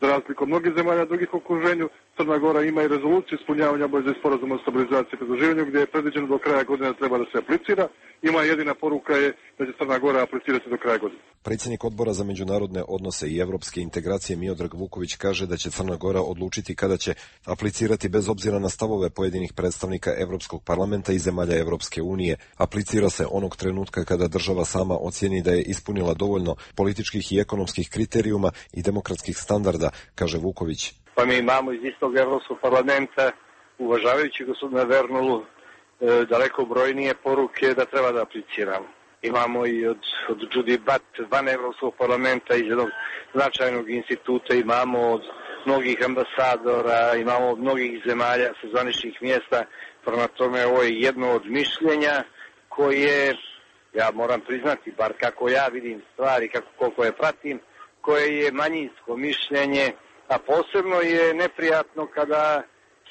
Za razliku od mnogih zemalja drugih u okruženju, Crna Gora ima i rezoluciju ispunjavanja obaveza iz sporazuma o stabilizaciji i pridruživanju gdje je predviđeno do kraja godine treba da se aplicira. Ima jedina poruka je da će Crna Gora aplicirati do kraja godine. Predsjednik Odbora za međunarodne odnose i evropske integracije Miodrag Vuković kaže da će Crna Gora odlučiti kada će aplicirati bez obzira na stavove pojedinih predstavnika Evropskog parlamenta i zemalja Evropske unije. Aplicira se onog trenutka kada država sama ocijeni da je ispunila dovoljno političkih i ekonomskih kriterijuma i demokratskih standarda, kaže Vuković. Pa mi imamo iz istog Evropskog parlamenta, uvažavajući gospodina Vernulu, e, daleko brojnije poruke da treba da apliciramo. Imamo i od, od Judy Butt van Evropskog parlamenta, iz jednog značajnog instituta, imamo od mnogih ambasadora, imamo od mnogih zemalja sa zvaničnih mjesta. Prema tome, ovo je jedno od mišljenja koje, ja moram priznati, bar kako ja vidim stvari, kako, koliko je pratim, koje je manjinsko mišljenje, a posebno je neprijatno kada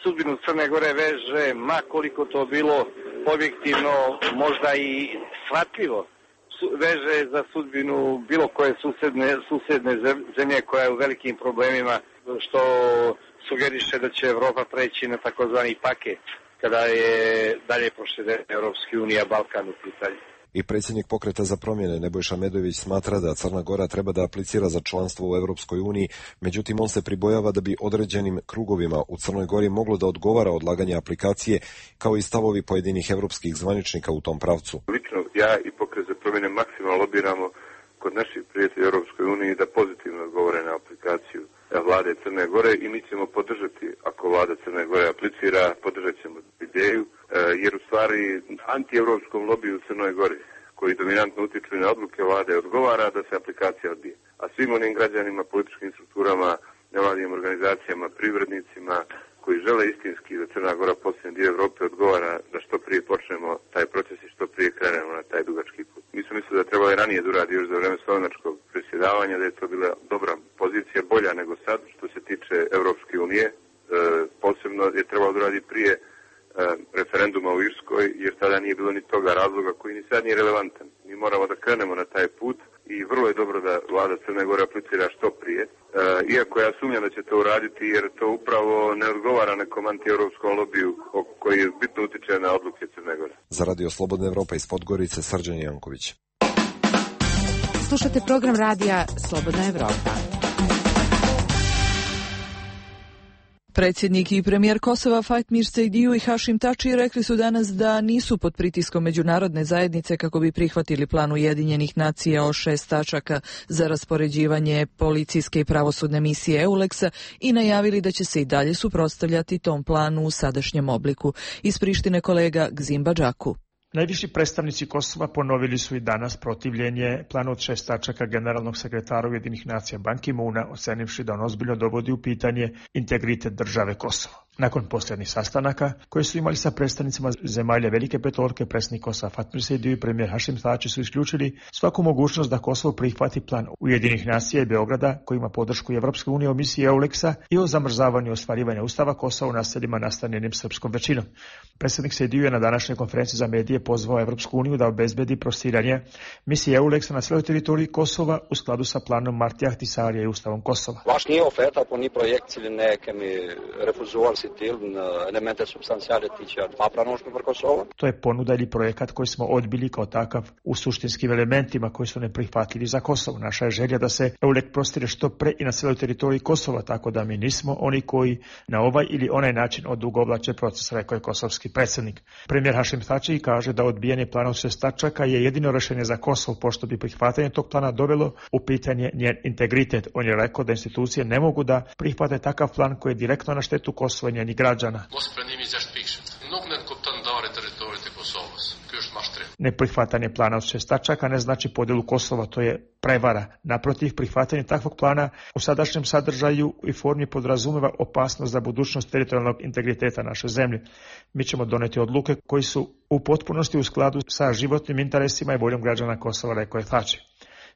sudbinu Crne Gore veže, ma koliko to bilo objektivno, možda i shvatljivo, veže za sudbinu bilo koje susedne, susedne zemlje koja je u velikim problemima, što sugeriše da će Evropa preći na takozvani paket kada je dalje proširena Evropska unija, Balkan u pitanju. I predsjednik Pokreta za promjene Nebojša Medović smatra da Crna Gora treba da aplicira za članstvo u Europskoj uniji, međutim on se pribojava da bi određenim krugovima u Crnoj Gori moglo da odgovara odlaganje aplikacije, kao i stavovi pojedinih evropskih zvaničnika u tom pravcu. Lično ja i Pokret za promjene maksimalno lobiramo kod naših prijatelja u Europskoj uniji da pozitivno odgovore na aplikaciju vlade Crne Gore i mi ćemo podržati, ako vlada Crne Gore aplicira, podržat ćemo ideju, jer u stvari anti-evropskom lobiju u Crnoj Gori, koji dominantno utiču na odluke vlade, odgovara da se aplikacija odbije. A svim onim građanima, političkim strukturama, nevladinim organizacijama, privrednicima, koji žele istinski da Crna Gora postane dio Evrope, odgovara da što prije počnemo taj proces i što prije krenemo na taj dugački put. Mi smo mislili da trebalo je ranije da uradi još za vreme slovenačkog predsjedavanja, da je to bila dobra pozicija, bolja nego sad što se tiče Evropske unije. E, posebno je trebalo da uradi prije e, referenduma u Irskoj, jer tada nije bilo ni toga razloga koji ni sad nije relevantan. Mi moramo da krenemo na taj put i vrlo je dobro da vlada Crne Gore aplicira što prije. E, iako ja sumnjam da će to uraditi, jer to upravo ne odgovara nekom anti-evropskom lobiju koji bitno utiče na odluke Crne Gore. Za Radio Slobodna Evropa iz Podgorice, Srđan Janković. Slušate program radija Slobodna Evropa. Predsjednik i premijer Kosova Fatmir Sejdiu i Hašim Tači rekli su danas da nisu pod pritiskom međunarodne zajednice kako bi prihvatili plan Ujedinjenih nacija o šest tačaka za raspoređivanje policijske i pravosudne misije EULEX-a i najavili da će se i dalje suprotstavljati tom planu u sadašnjem obliku. Iz Prištine kolega Gzimba Džaku. Najviši predstavnici Kosova ponovili su i danas protivljenje planu od šest tačaka generalnog sekretara Ujedinjenih nacija Ban Ki-moona, ocenivši da on ozbiljno dovodi u pitanje integritet države Kosovo. Nakon posljednjih sastanaka koje su imali sa predstavnicima zemalja Velike petorke, predsjednik Kosova Fatmir Sejdiu i premijer Hašim Tači su isključili svaku mogućnost da Kosovo prihvati plan Ujedinjenih nacija i Beograda koji ima podršku Evropske unije o misiji EULEX-a i o zamrzavanju ostvarivanja ustava Kosova u naseljima nastanjenim srpskom većinom. Predsjednik Sejdiu je na današnjoj konferenciji za medije pozvao Evropsku uniju da obezbedi prostiranje misije EULEX-a na cijeloj teritoriji Kosova u skladu sa planom Martija Ahtisarija i ustavom Kosova. Vaš nije oferta po ni projekt ili neke mi refuzuar elemente substancijale tiče papranoške për Kosova. To je ponuda ili projekat koji smo odbili kao takav u suštinskim elementima koji su neprihvatljivi za Kosovo. Naša je želja da se EULEX prostire što pre i na cijeloj teritoriji Kosova, tako da mi nismo oni koji na ovaj ili onaj način odugovlače proces, rekao je kosovski predsjednik. Premijer Hašim Tači kaže da odbijanje plana od šest tačaka je jedino rješenje za Kosovo, pošto bi prihvatanje tog plana dovelo u pitanje njen integritet. On je rekao da institucije ne mogu da prihvate takav plan koji je direktno na štetu Kosova i njenih građana. Neprihvatanje plana od šest tačaka ne znači podjelu Kosova, to je prevara. Naprotiv, prihvatanje takvog plana u sadašnjem sadržaju i formi podrazumeva opasnost za budućnost teritorijalnog integriteta naše zemlje. Mi ćemo doneti odluke koji su u potpunosti u skladu sa životnim interesima i voljom građana Kosova, rekao je Tači.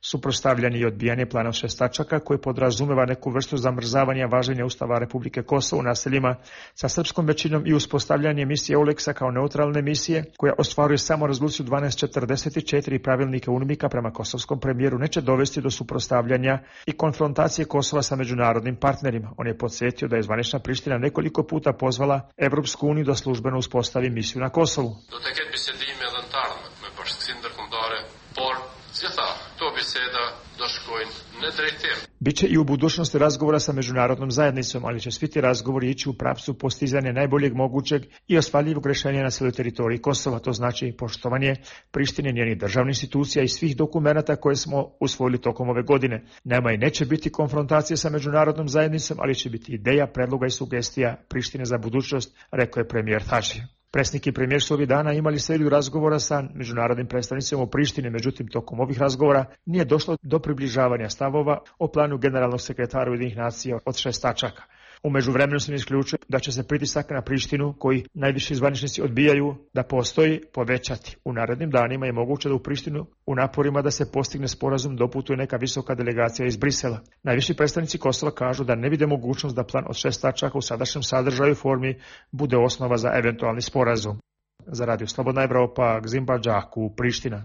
suprotstavljanje i odbijanje plana šest tačaka koji podrazumeva neku vrstu zamrzavanja važenja Ustava Republike Kosovo u naseljima sa srpskom većinom i uspostavljanje misije Euleksa kao neutralne misije koja ostvaruje samo rezoluciju dvanaest četrdeset četiri pravilnika UNMIK-a prema kosovskom premijeru neće dovesti do suprotstavljanja i konfrontacije Kosova sa međunarodnim partnerima. On je podsjetio da je zvanična Priština nekoliko puta pozvala Evropsku uniju da službeno uspostavi misiju na Kosovu. Do të ketë bisedime edhe në të ardhmen me bashkësinë ndërkombëtare, por si tha, këto biseda do shkojnë në drejtim. Biće i u budućnosti razgovora sa međunarodnom zajednicom, ali će svi ti razgovori ići u pravcu postizanja najboljeg mogućeg i ostvarljivog rješenja na cijeloj teritoriji Kosova. To znači poštovanje Prištine, njenih državnih institucija i svih dokumenata koje smo usvojili tokom ove godine. Nema i neće biti konfrontacije sa međunarodnom zajednicom, ali će biti ideja, predloga i sugestija Prištine za budućnost, rekao je premijer Tači. Predsjednik i premijer su ovih dana imali seriju razgovora sa međunarodnim predstavnicima u Prištini, međutim tokom ovih razgovora nije došlo do približavanja stavova o planu generalnog sekretara Ujedinjenih nacija od šest tačaka. U međuvremenu se ne isključuje da će se pritisak na Prištinu, koji najviši zvaničnici odbijaju da postoji, povećati. U narednim danima je moguće da u Prištinu u naporima da se postigne sporazum doputuje neka visoka delegacija iz Brisela. Najviši predstavnici Kosova kažu da ne vide mogućnost da plan od šest tačaka u sadašnjem sadržaju i formi bude osnova za eventualni sporazum. Za Radio Slobodna Evropa, Gzimba Đaku, Priština.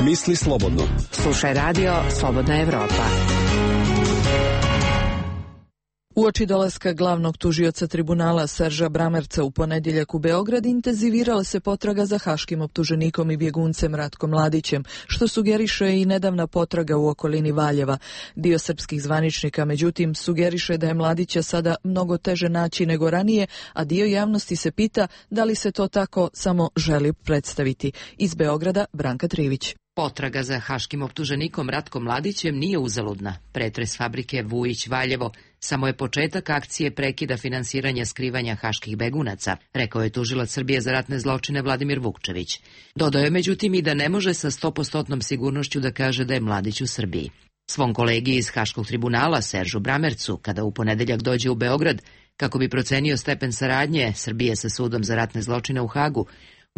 Misli slobodno. Slušaj Radio Slobodna Evropa. Uoči dolaska glavnog tužioca tribunala Serža Bramerca u ponedjeljak u Beograd intenzivirala se potraga za haškim optuženikom i bjeguncem Ratkom Mladićem, što sugeriše i nedavna potraga u okolini Valjeva. Dio srpskih zvaničnika, međutim, sugeriše da je Mladića sada mnogo teže naći nego ranije, a dio javnosti se pita da li se to tako samo želi predstaviti. Iz Beograda, Branka Trivić. Potraga za haškim optuženikom Ratkom Mladićem nije uzaludna. Pretres fabrike Vujić Valjevo samo je početak akcije prekida finansiranja skrivanja haških begunaca, rekao je tužilac Srbije za ratne zločine Vladimir Vukčević. Dodao je međutim i da ne može sa stopostotnom sigurnošću da kaže da je Mladić u Srbiji. Svom kolegi iz Haškog tribunala Seržu Bramercu, kada u ponedeljak dođe u Beograd, kako bi procenio stepen saradnje Srbije sa sudom za ratne zločine u Hagu,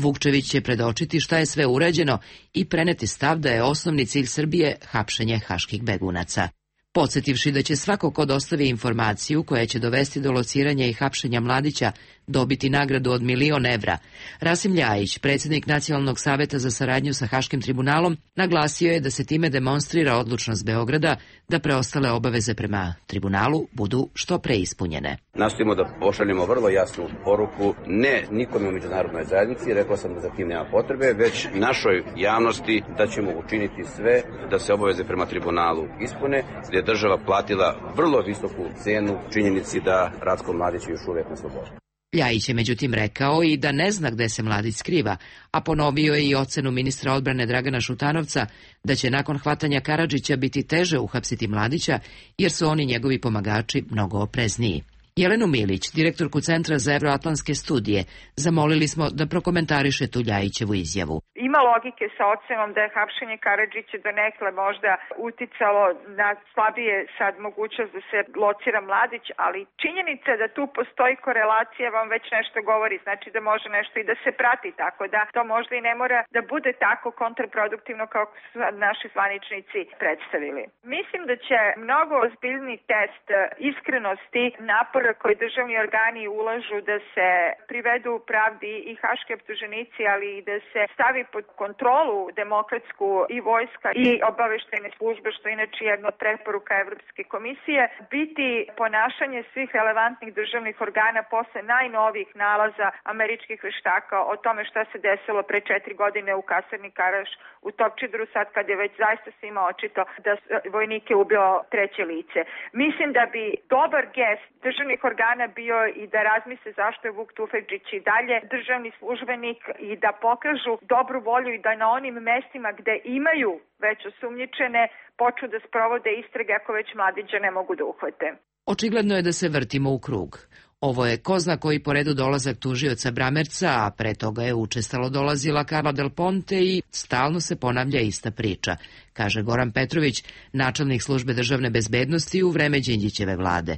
Vukčević će predočiti šta je sve urađeno i preneti stav da je osnovni cilj Srbije hapšenje haških begunaca. Podsjetivši da će svako ko dostavi informaciju koja će dovesti do lociranja i hapšenja Mladića dobiti nagradu od milion evra, Rasim Ljajić, predsjednik Nacionalnog saveta za saradnju sa Haškim tribunalom, naglasio je da se time demonstrira odlučnost Beograda da preostale obaveze prema tribunalu budu što pre ispunjene. Nastojimo da pošaljemo vrlo jasnu poruku, ne nikome u međunarodnoj zajednici, rekao sam da za tim nema potrebe, već našoj javnosti da ćemo učiniti sve da se obaveze prema tribunalu ispune, gdje je država platila vrlo visoku cenu činjenici da Ratko Mladić je još uvijek na slobodi. Ljajić je međutim rekao i da ne zna gde se Mladić skriva, a ponovio je i ocenu ministra odbrane Dragana Šutanovca da će nakon hvatanja Karadžića biti teže uhapsiti Mladića jer su oni njegovi pomagači mnogo oprezniji. Jelenu Milić, direktorku Centra za evroatlantske studije, zamolili smo da prokomentariše tu Ljajićevu izjavu. Ima logike sa ocenom da je hapšenje Karadžića donekle možda uticalo na slabije sad mogućnost da se locira Mladić, ali činjenica da tu postoji korelacija vam već nešto govori, znači da može nešto i da se prati, tako da to možda i ne mora da bude tako kontraproduktivno kao su naši zvaničnici predstavili. Mislim da će mnogo ozbiljni test iskrenosti napora koji državni organi ulažu da se privedu pravdi i haški optuženici, ali i da se stavi pod kontrolu demokratsku i vojska i obaveštajne službe, što je inače jedna od preporuka Evropske komisije, biti ponašanje svih relevantnih državnih organa posle najnovijih nalaza američkih veštaka o tome šta se desilo pre četiri godine u kasarni Karaš u Topčideru, sad kad je već zaista svima očito da vojnike ubilo treće lice. Mislim da bi dobar gest državnih organa bio i da razmisle zašto je Vuk Tufekđić i dalje državni službenik i da pokažu dobru volju i da na onim mestima gde imaju već osumnjičene počnu da sprovode istrage ako već Mladića ne mogu da uhvate. Očigledno je da se vrtimo u krug. Ovo je ko zna koji po redu dolazak tužioca Bramerca, a pre toga je učestalo dolazila Carla Del Ponte i stalno se ponavlja ista priča, kaže Goran Petrović, načelnik službe državne bezbednosti u vreme Đinđićeve vlade.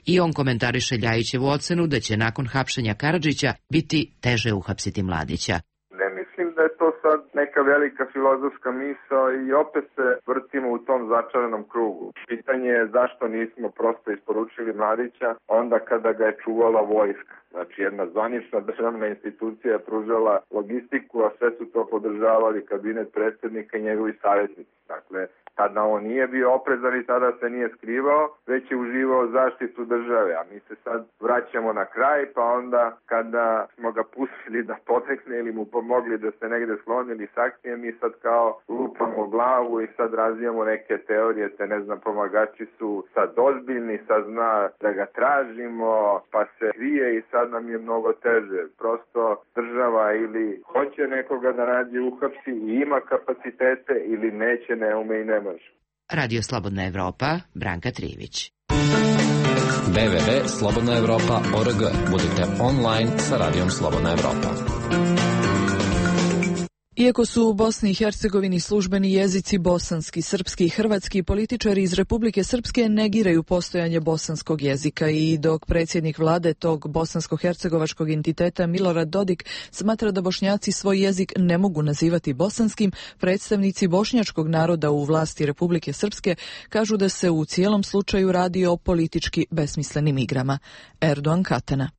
I on komentariše Ljajićevu ocenu da će nakon hapšenja Karadžića biti teže uhapsiti Mladića. Ne mislim da je to sad neka velika filozofska misao i opet se vrtimo u tom začaranom krugu. Pitanje je zašto nismo prosto isporučili Mladića onda kada ga je čuvala vojska. Znači jedna zvanična državna institucija je pružala logistiku, a sve su to podržavali kabinet predsjednika i njegovi savjetnici. Dakle, tada on nije bio oprezan i tada se nije skrivao, već je uživao zaštitu države. A mi se sad vraćamo na kraj, pa onda kada smo ga pustili da potekne ili mu pomogli da se negde sklonili s akcije, mi sad kao lupamo glavu i sad razvijamo neke teorije, te ne znam, pomagači su sad ozbiljni, sad zna da ga tražimo, pa se krije i sad nam je mnogo teže. Prosto država ili hoće nekoga da nađe uhapsi i ima kapacitete ili neće, ne ume i ne može. Radio Slobodna Evropa, Branka Trivić. w w w tačka slobodna evropa tačka org. Budite online sa Radijom Slobodna Evropa. Iako su u Bosni i Hercegovini službeni jezici bosanski, srpski i hrvatski, političari iz Republike Srpske negiraju postojanje bosanskog jezika i dok predsjednik vlade tog bosansko-hercegovačkog entiteta Milorad Dodik smatra da Bošnjaci svoj jezik ne mogu nazivati bosanskim, predstavnici bošnjačkog naroda u vlasti Republike Srpske kažu da se u cijelom slučaju radi o politički besmislenim igrama. Erdogan Katana.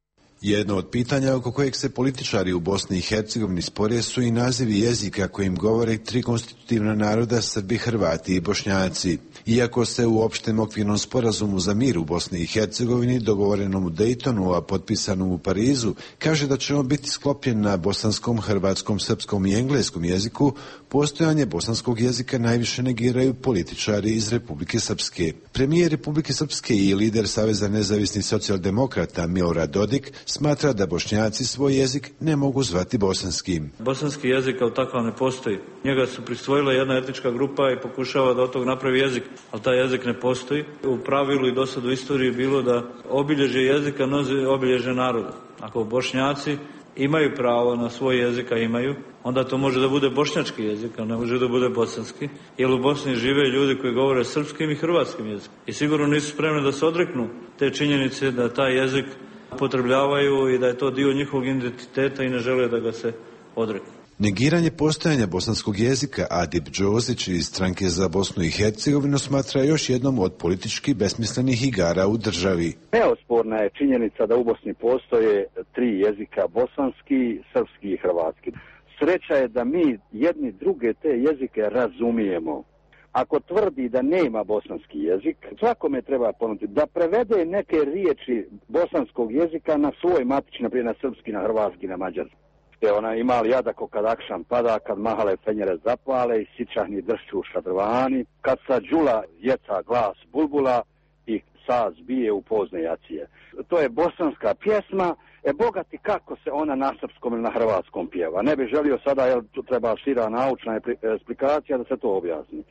Jedno od pitanja oko kojeg se političari u Bosni i Hercegovini spore su i nazivi jezika kojim govore tri konstitutivna naroda Srbi, Hrvati i Bošnjaci. Iako se u opštem okvirnom sporazumu za mir u Bosni i Hercegovini, dogovorenom u Dejtonu, a potpisanom u Parizu, kaže da će on biti sklopljen na bosanskom, hrvatskom, srpskom i engleskom jeziku, postojanje bosanskog jezika najviše negiraju političari iz Republike Srpske. Premijer Republike Srpske i lider Saveza nezavisnih socijaldemokrata Milorad Dodik smatra da Bošnjaci svoj jezik ne mogu zvati bosanskim. Bosanski jezik kao takav ne postoji. Njega su prisvojila jedna etnička grupa i pokušava da od tog napravi jezik, ali taj jezik ne postoji. U pravilu i do sad u istoriji je bilo da obilježje jezika nosi obilježje naroda. Ako Bošnjaci imaju pravo na svoj jezik, a imaju, onda to može da bude bošnjački jezik, a ne može da bude bosanski, jer u Bosni žive ljudi koji govore srpskim i hrvatskim jezikom. I sigurno nisu spremni da se odreknu te činjenice da taj jezik upotrebljavaju i da je to dio njihovog identiteta i ne žele da ga se odreknu. Negiranje postojanja bosanskog jezika Adip Đozić iz Stranke za Bosnu i Hercegovinu smatra još jednom od politički besmislenih igara u državi. Neosporna je činjenica da u Bosni postoje tri jezika, bosanski, srpski i hrvatski. Sreća je da mi jedni druge te jezike razumijemo. Ako tvrdi da nema bosanski jezik, svakome treba ponuditi da prevede neke riječi bosanskog jezika na svoj matični, naprijed na srpski, na hrvatski, na mađarski. Je ona imali jadako kad akšan pada, kad mahale fenjere zapale i sičahni dršću šadrvani, kad sa džula jeca glas bulbula i saz bije u pozne jacije. To je bosanska pjesma, e bogati kako se ona na srpskom ili na hrvatskom pjeva. Ne bih želio sada, jer tu treba šira naučna eksplikacija da se to objasni.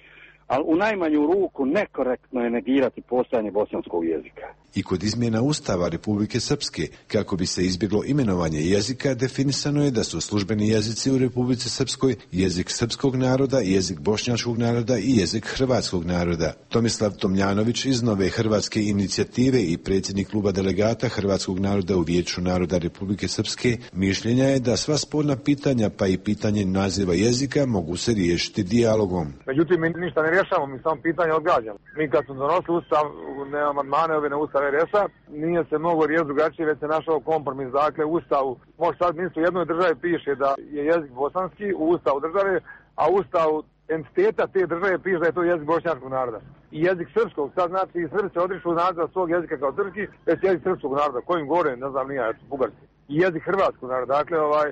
Ali u najmanju ruku nekorektno je negirati postojanje bosanskog jezika. I kod izmjena Ustava Republike Srpske, kako bi se izbjeglo imenovanje jezika, definisano je da su službeni jezici u Republici Srpskoj jezik srpskog naroda, jezik bošnjačkog naroda i jezik hrvatskog naroda. Tomislav Tomljanović iz Nove hrvatske inicijative i predsjednik kluba delegata hrvatskog naroda u Vijeću naroda Republike Srpske mišljenja je da sva sporna pitanja, pa i pitanje naziva jezika, mogu se riješiti dijalogom. Međutim, mi ništa ne rješavamo, mi samo pitanje odgađamo. Mi kad smo donosili ustav, ne amandmane ove na ustav R S-a, nije se moglo riješiti drugačije, već se našao kompromis. Dakle, u ustavu, može sad ministru jednoj državi piše da je jezik bosanski u ustavu države, a u ustavu entiteta te države piše da je to jezik bošnjačkog naroda. I jezik srpskog, sad znači i Srbi se odriču naziva svog jezika kao srpski, već jezik srpskog naroda, kojim gore, ne znam, nije, bugarski. I jezik hrvatskog naroda, dakle, ovaj,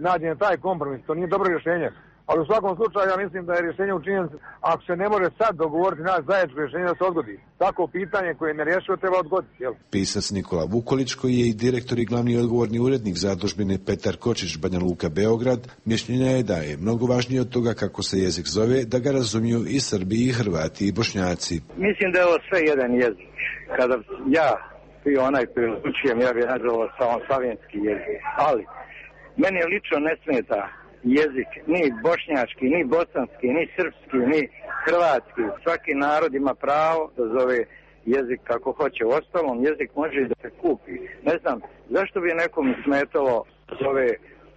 nađen je taj kompromis, to nije dobro rješenje. Ali u svakom slučaju ja mislim da je rješenje učinjeno, ako se ne može sad dogovoriti naš zajedničko rješenje da se odgodi. Tako pitanje koje je nerješivo treba odgoditi. Jel? Pisac Nikola Vukolić, koji je i direktor i glavni odgovorni urednik zadužbine Petar Kočić, Banja Luka, Beograd, mišljenja je da je mnogo važnije od toga kako se jezik zove, da ga razumiju i Srbi, i Hrvati, i Bošnjaci. Mislim da je ovo sve jedan jezik. Kada ja i onaj koji učujem, ja bih nazvao samo slavenski jezik. Ali meni lično ne smeta jezik, ni bošnjački, ni bosanski, ni srpski, ni hrvatski. Svaki narod ima pravo da zove jezik kako hoće. U ostalom, jezik može i da se kupi. Ne znam, zašto bi nekom smetalo da zove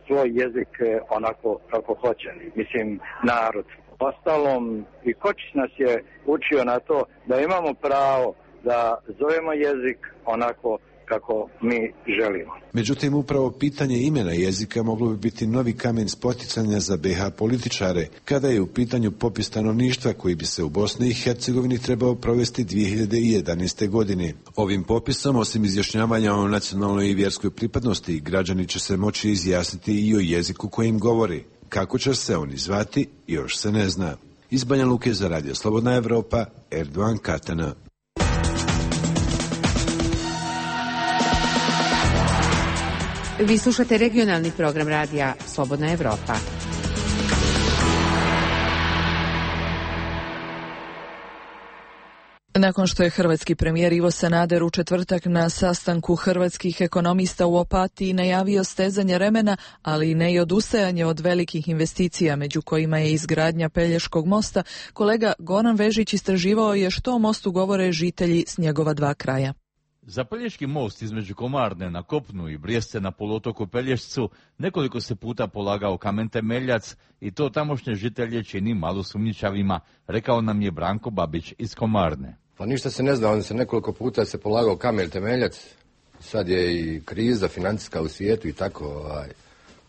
svoj jezik onako kako hoće, mislim narod. Ostalom i Kočić nas je učio na to da imamo pravo da zovemo jezik onako kako mi želimo. Međutim, upravo pitanje imena jezika moglo bi biti novi kamen spoticanja za be ha političare, kada je u pitanju popis stanovništva koji bi se u Bosni i Hercegovini trebao provesti dvije hiljade jedanaeste. godine. Ovim popisom, osim izjašnjavanja o nacionalnoj i vjerskoj pripadnosti, građani će se moći izjasniti i o jeziku kojim govori. Kako će se oni zvati, još se ne zna. Iz Banja Luke za Radio Slobodna Evropa, Erdogan Katana. Vi slušate regionalni program radija Slobodna Evropa. Nakon što je hrvatski premijer Ivo Sanader u četvrtak na sastanku hrvatskih ekonomista u Opatiji najavio stezanje remena, ali ne i odustajanje od velikih investicija, među kojima je izgradnja Pelješkog mosta, kolega Goran Vežić istraživao je što o mostu govore žitelji s njegova dva kraja. Za Pelješki most između Komarne na kopnu i Brijeste na poluotoku Pelješcu nekoliko se puta polagao kamen temeljac i to tamošnje žitelje čini malo sumnjičavima, rekao nam je Branko Babić iz Komarne. Pa ništa se ne zna, on se nekoliko puta se polagao kamen temeljac, sad je i kriza financijska u svijetu i tako, ovaj,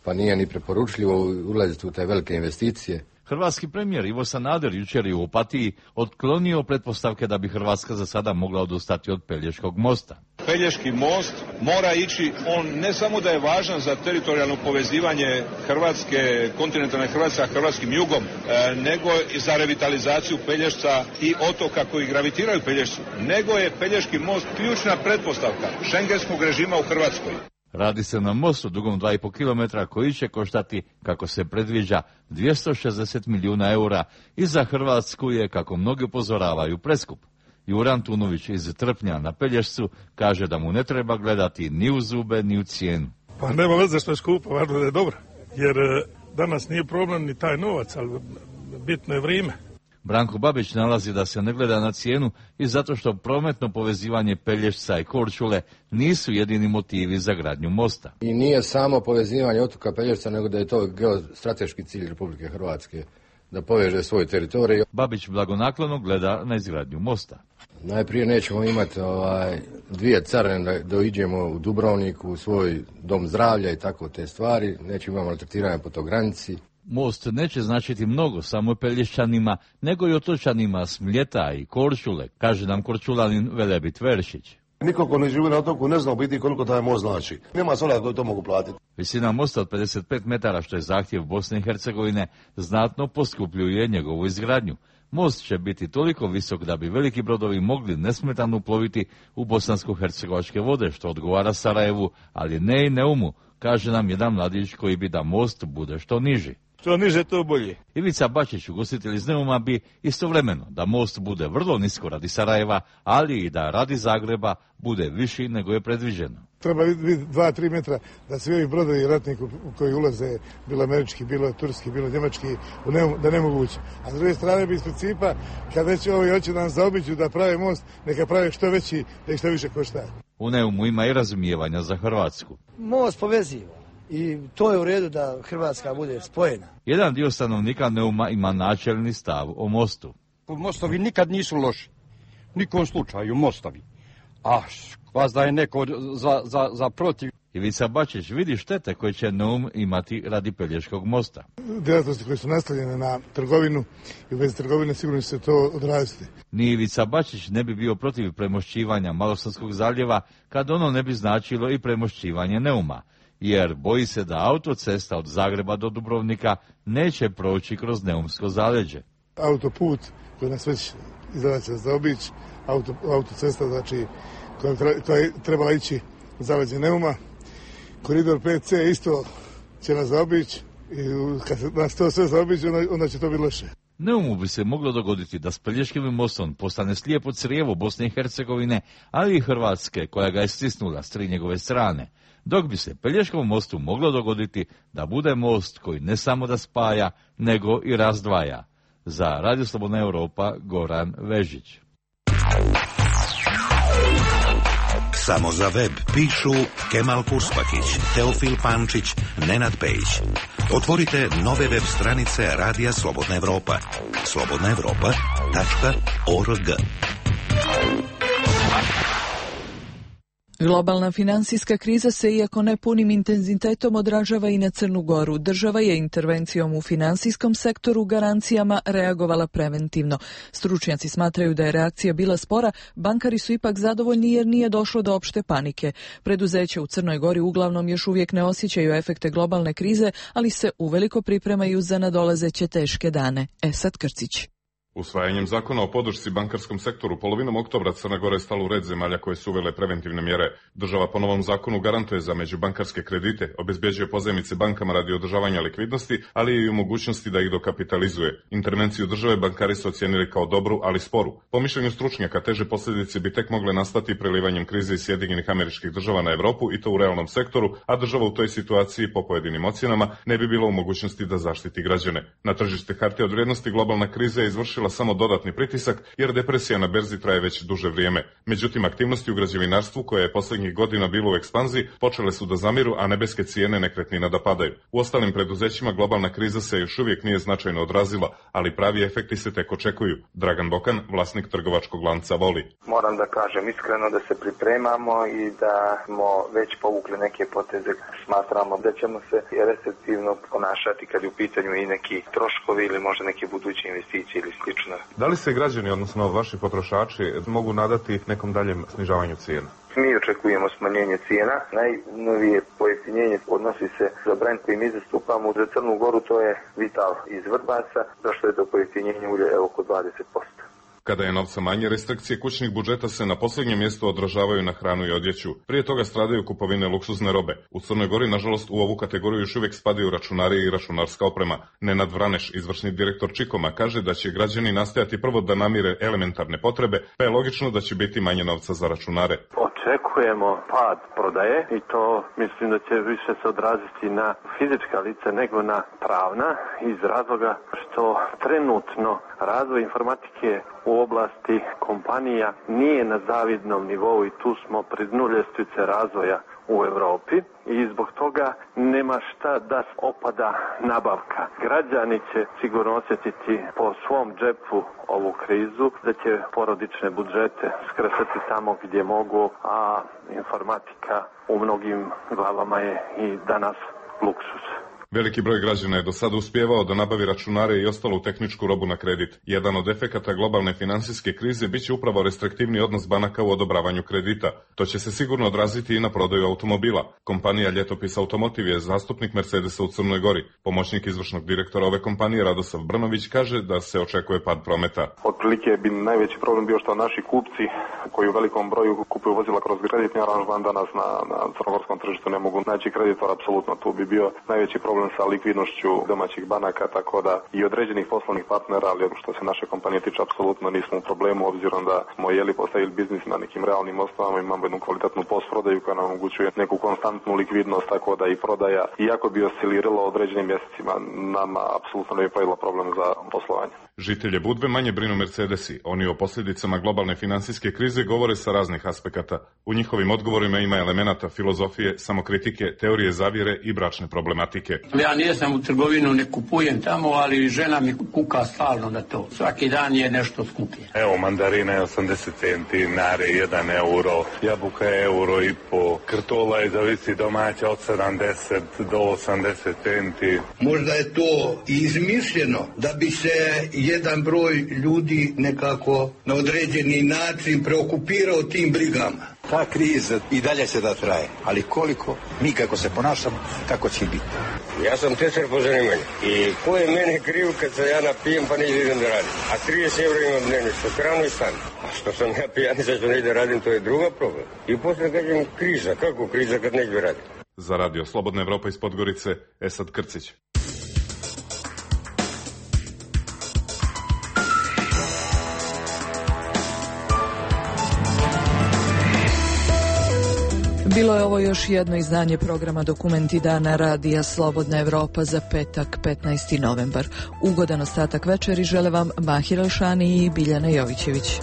pa nije ni preporučljivo ulaziti u te velike investicije. Hrvatski premijer Ivo Sanader jučer je u Opatiji otklonio pretpostavke da bi Hrvatska za sada mogla odustati od Pelješkog mosta. Pelješki most mora ići, on ne samo da je važan za teritorijalno povezivanje Hrvatske, kontinentalne Hrvatske sa hrvatskim jugom, e, nego i za revitalizaciju Pelješca i otoka koji gravitiraju Pelješcu, nego je Pelješki most ključna pretpostavka šengenskog režima u Hrvatskoj. Radi se na mostu dugom dva i pol kilometra koji će koštati, kako se predviđa, dvjesto šezdeset milijuna eura i za Hrvatsku je, kako mnogi upozoravaju, preskup. Jura Antunović iz Trpnja na Pelješcu kaže da mu ne treba gledati ni u zube ni u cijenu. Pa nema veze što je skupo, važno da je dobro, jer danas nije problem ni taj novac, ali bitno je vrijeme. Branko Babić nalazi da se ne gleda na cijenu i zato što prometno povezivanje Pelješca i Korčule nisu jedini motivi za gradnju mosta. I nije samo povezivanje otoka Pelješca, nego da je to geostrateški cilj Republike Hrvatske, da poveže svoj teritorij. Babić blagonaklono gleda na izgradnju mosta. Najprije nećemo imati ovaj, dvije carine da doiđemo u Dubrovniku, u svoj dom zdravlja i tako te stvari, nećemo imati maltretiranja po toj granici. Most neće značiti mnogo samo Pelješćanima, nego i otočanima s Mljeta i Korčule, kaže nam Korčulanin Velebit Veršić. Niko ko ne živi na otoku ne zna u biti koliko taj most znači. Nema sola koji to mogu platiti. Visina mosta od pedeset pet metara, što je zahtjev Bosne i Hercegovine, znatno poskupljuje njegovu izgradnju. Most će biti toliko visok da bi veliki brodovi mogli nesmetano ploviti u bosansko-hercegovačke vode, što odgovara Sarajevu, ali ne i Neumu, kaže nam jedan mladić koji bi da most bude što niži. Što niže, to bolje. Ivica Bačić, ugostitelj iz Neuma, bi istovremeno da most bude vrlo nisko radi Sarajeva, ali i da radi Zagreba bude viši nego je predviđeno. Treba biti dva do tri metra da svi ovi brodovi ratniku koji ulaze, bilo američki, bilo turski, bilo njemački, da ne mogu ući. A s druge strane bi iz principa, kad već ovi hoće da nam zaobiđu da prave most, neka prave što veći, da ih što više košta. U Neumu ima i razumijevanja za Hrvatsku. Most poveziva. I to je u redu da Hrvatska bude spojena. Jedan dio stanovnika Neuma ima načelni stav o mostu. Mostovi nikad nisu loši. Nikom slučaju mostovi. A vas da je neko za, za, za protiv. Ivica Bačić vidi štete koje će Neum imati radi Pelješkog mosta. Djelatnosti koje su nastavljene na trgovinu i u vezi trgovine sigurno će se to odraziti. Ni Ivica Bačić ne bi bio protiv premošćivanja Malostonskog zaljeva kad ono ne bi značilo i premošćivanje Neuma, jer boji se da autocesta od Zagreba do Dubrovnika neće proći kroz Neumsko zaleđe. Autoput koji nas već izgleda će zaobići, auto, autocesta znači koja, koja je trebala ići u zaleđe Neuma, koridor pet ce isto će nas zaobići i kad se nas to sve zaobići onda, onda će to biti loše. Neumu bi se moglo dogoditi da s Pelješkim mostom postane slijepo crijevo Bosne i Hercegovine, ali i Hrvatske koja ga je stisnula s tri njegove strane. Dok bi se Pelješkom mostu moglo dogoditi da bude most koji ne samo da spaja, nego i razdvaja. Za Radio Slobodna Evropa, Goran Vežić. Samo za web pišu Kemal Purspakić, Teofil Pančić, Nenad Pejić. Otvorite nove web stranice Radija Slobodna Evropa. slobodna evropa tačka org. Globalna finansijska kriza se, iako ne punim intenzitetom, odražava i na Crnu Goru. Država je intervencijom u finansijskom sektoru garancijama reagovala preventivno. Stručnjaci smatraju da je reakcija bila spora, bankari su ipak zadovoljni jer nije došlo do opšte panike. Preduzeća u Crnoj Gori uglavnom još uvijek ne osjećaju efekte globalne krize, ali se uveliko pripremaju za nadolazeće teške dane. Esad Krcić. Usvajanjem zakona o podršci bankarskom sektoru polovinom oktobra Crna Gora je stala u red zemalja koje su uvele preventivne mjere. Država po novom zakonu garantuje za međubankarske kredite, obezbjeđuje pozajmice bankama radi održavanja likvidnosti, ali i u mogućnosti da ih dokapitalizuje. Intervenciju države bankari su ocijenili kao dobru, ali sporu. Po mišljenju stručnjaka, teže posljedice bi tek mogle nastati prelivanjem krize iz Sjedinjenih Američkih Država na Europu i to u realnom sektoru, a država u toj situaciji po pojedinim ocjenama ne bi bila u mogućnosti da zaštiti građane. Na tržište hartija od vrijednosti globalna kriza je izvršila samo dodatni pritisak jer depresija na berzi traje već duže vrijeme. Međutim, aktivnosti u građevinarstvu, koje je posljednjih godina bilo u ekspanziji, počele su da zamiru, a nebeske cijene nekretnina da padaju. U ostalim preduzećima globalna kriza se još uvijek nije značajno odrazila, ali pravi efekti se tek očekuju. Dragan Bokan, vlasnik trgovačkog lanca Voli. Moram da kažem iskreno da se pripremamo i da smo već povukli neke poteze. Smatramo da ćemo se restriktivno ponašati kad je u pitanju i neki troškovi ili možda neke buduće investicije ili slično. Da li se građani, odnosno vaši potrošači, mogu nadati nekom daljem snižavanju cijena? Mi očekujemo smanjenje cijena. Najnovije pojeftinjenje odnosi se za brend koji mi zastupamo za Crnu Goru, to je Vital iz Vrbaca, došlo je do pojeftinjenja ulja oko dvadeset posto. Kada je novca manje, restrikcije kućnih budžeta se na posljednjem mjestu odražavaju na hranu i odjeću. Prije toga stradaju kupovine luksuzne robe. U Crnoj Gori, nažalost, u ovu kategoriju još uvijek spadaju računari i računarska oprema. Nenad Vraneš, izvršni direktor Čikoma, kaže da će građani nastojati prvo da namire elementarne potrebe, pa je logično da će biti manje novca za računare. Očekujemo pad prodaje i to mislim da će više se odraziti na fizička lica nego na pravna, iz razloga što trenutno razvoj informatike u oblasti kompanija nije na zavidnom nivou i tu smo pri dnu ljestvice razvoja u Europi i zbog toga nema šta da opada nabavka. Građani će sigurno osjetiti po svom džepu ovu krizu, da će porodične budžete skresati tamo gdje mogu, a informatika u mnogim glavama je i danas luksus. Veliki broj građana je do sada uspijevao da nabavi računare i ostalu tehničku robu na kredit. Jedan od efekata globalne financijske krize bit će upravo restriktivni odnos banaka u odobravanju kredita. To će se sigurno odraziti i na prodaju automobila. Kompanija Ljetopis Automotiv je zastupnik Mercedesa u Crnoj Gori. Pomoćnik izvršnog direktora ove kompanije Radosav Brnović kaže da se očekuje pad prometa. Otprilike bi najveći problem bio što naši kupci koji u velikom broju kupuju vozila kroz kreditni aranžman danas na, na crnogorskom tržištu ne mogu naći kreditor, apsolutno tu bi bio najveći problem sa likvidnošću domaćih banaka, tako da i određenih poslovnih partnera, ali što se naše kompanije tiče, apsolutno nismo u problemu, obzirom da smo jeli postavili biznis na nekim realnim osnovama, imamo jednu kvalitetnu postprodaju koja nam omogućuje neku konstantnu likvidnost, tako da i prodaja, iako bi osciliralo određenim mjesecima, nama apsolutno ne bi pravilo problem za poslovanje. Žitelje Budve manje brinu Mercedesi. Oni o posljedicama globalne financijske krize govore sa raznih aspekata. U njihovim odgovorima ima elemenata filozofije, samokritike, teorije zavjere i bračne problematike. Ja nisam u trgovinu, ne kupujem tamo, ali žena mi kuka stalno na to. Svaki dan je nešto skuplje. Evo, mandarina je osamdeset centi, nare jedan euro, jabuka je euro i po, krtola je zavisi domaća od sedamdeset do osamdeset centi. Možda je to izmišljeno da bi se jedan broj ljudi nekako na određeni način preokupirao tim brigama. Ta kriza i dalje se da traje, ali koliko mi kako se ponašamo, tako će biti. Ja sam tesar po zanimanju i ko je mene kriv kad se ja napijem pa ne idem da radim. A trideset eura imam dnevnicu, hranu i stan. A što sam ja pijanica što ne idem da radim, to je druga problem. I posle kažem kriza, kako kriza kad neću da radim? Za radio Slobodna Evropa iz Podgorice, Esad Krcić. Bilo je ovo još jedno izdanje programa Dokumenti dana radija Slobodna Evropa za petak petnaesti novembar. Ugodan ostatak večeri žele vam Mahir Alšani i Biljana Jovićević.